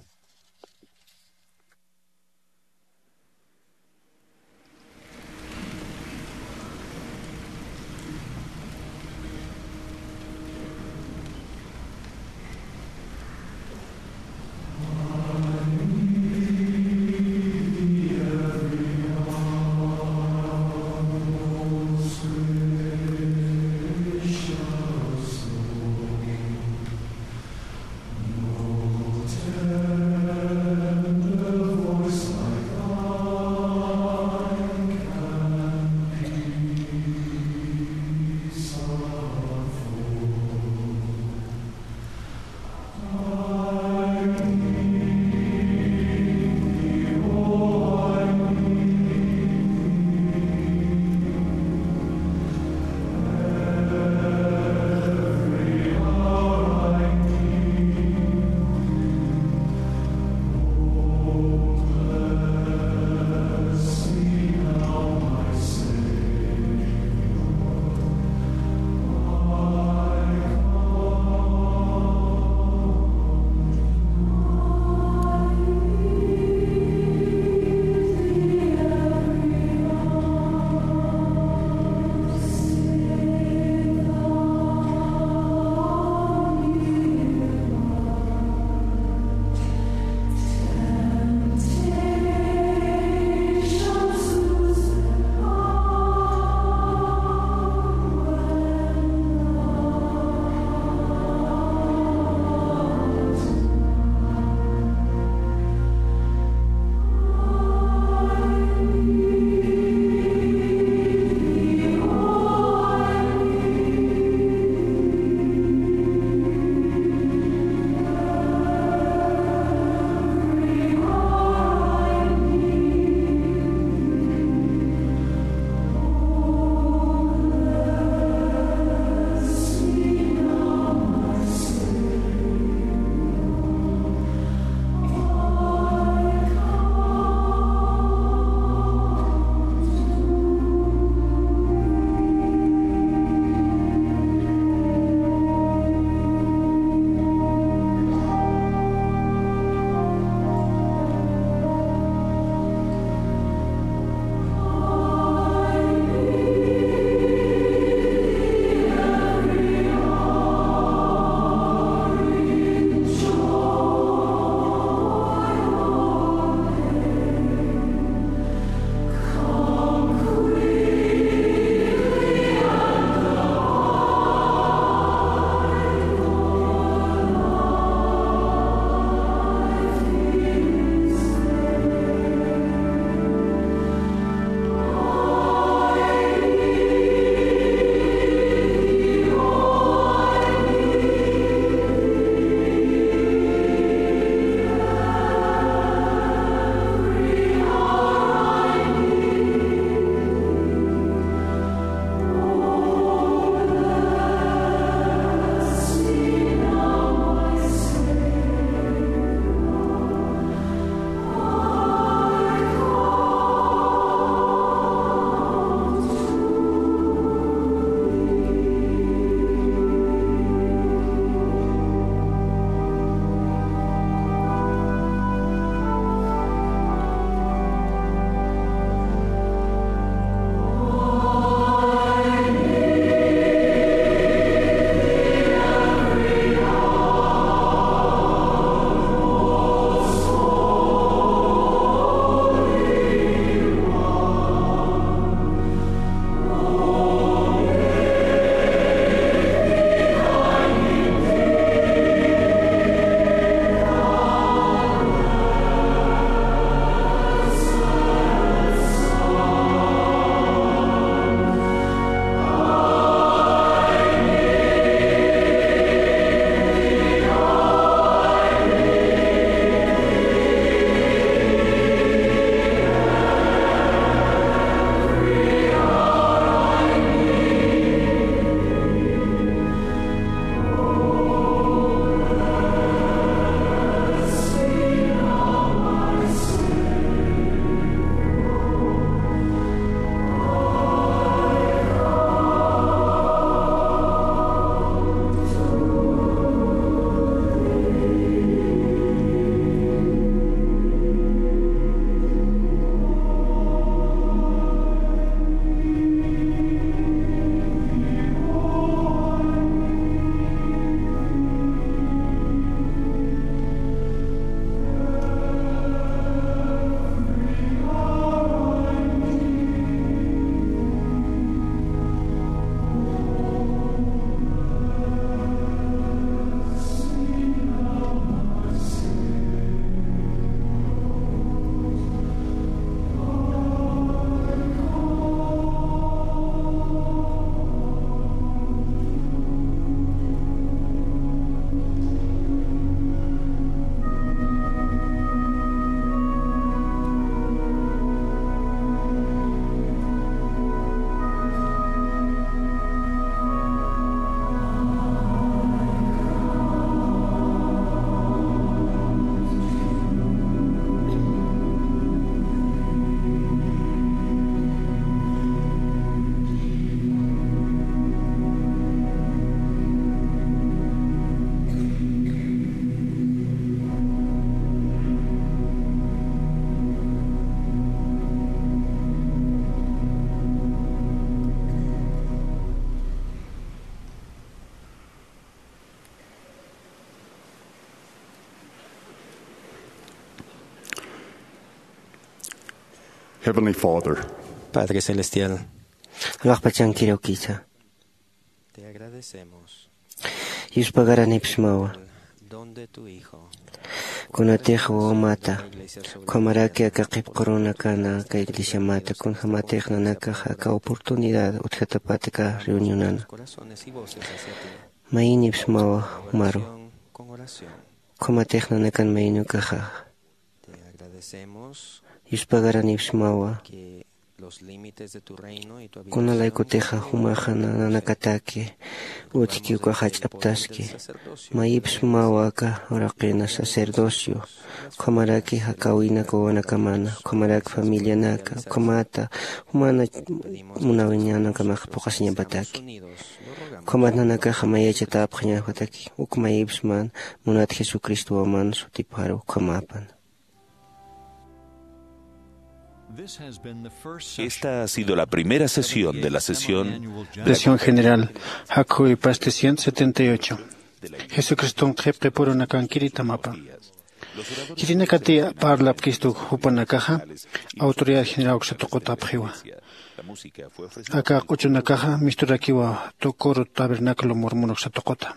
Heavenly Father, Padre Celestial, alaxpachankirukisa. Te agradecemos. Yuspagaranipsmawa. El don de tu Hijo. Kunatix wawamata, ukhamaraki aka qhipqurunakana aka iglesiamata, kunjamatix nanakax aka oportunidad utjatapatka reunionana. Mayinipsmawa jumaru. Ukhamatix nanakan mayinukaxa. Yuspagaranipsmawa. Kunalaykutixa jumaxa nanakataki utjki ukaxa jach'aptaski. Mayipsmawa aka uraqina sacerdocio, ukhamaraki jakawinaka wawanakamana, ukhamaraki familianaka, ukhamata jumana munawiñanakamax phuqhasiñapataki. Ukhamat nanakaxa mayachatäpxañapataki uk mayipsman munat Jesucristo waman sutipxaru ukhamapan. Esta ha sido la primera sesión de la sesión Sesión general, jakhuy pasti ciento setenta y ocho. Jesucriston qhipqipurunakankiri tamapan. Khitinakati parlapkistu jupanakaxa, autoridad general uksa tuqutapxiwa. Aka q'uchunakaxa misturakiwa tu coro tabernáculo mormon uksa tuquta.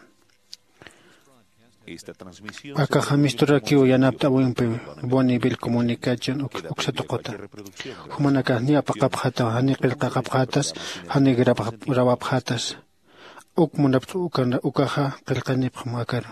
Akaxa misturakiw yanapt'äwimpi Bonneville Comunicación uk- uksa tuquta. Jumanakax niy apaqapxätaw, janiy qillqaqapxätas, janiy graba- grabapxätas. Uk munapt'u ukan- ukaxa qillqanipxam akaru.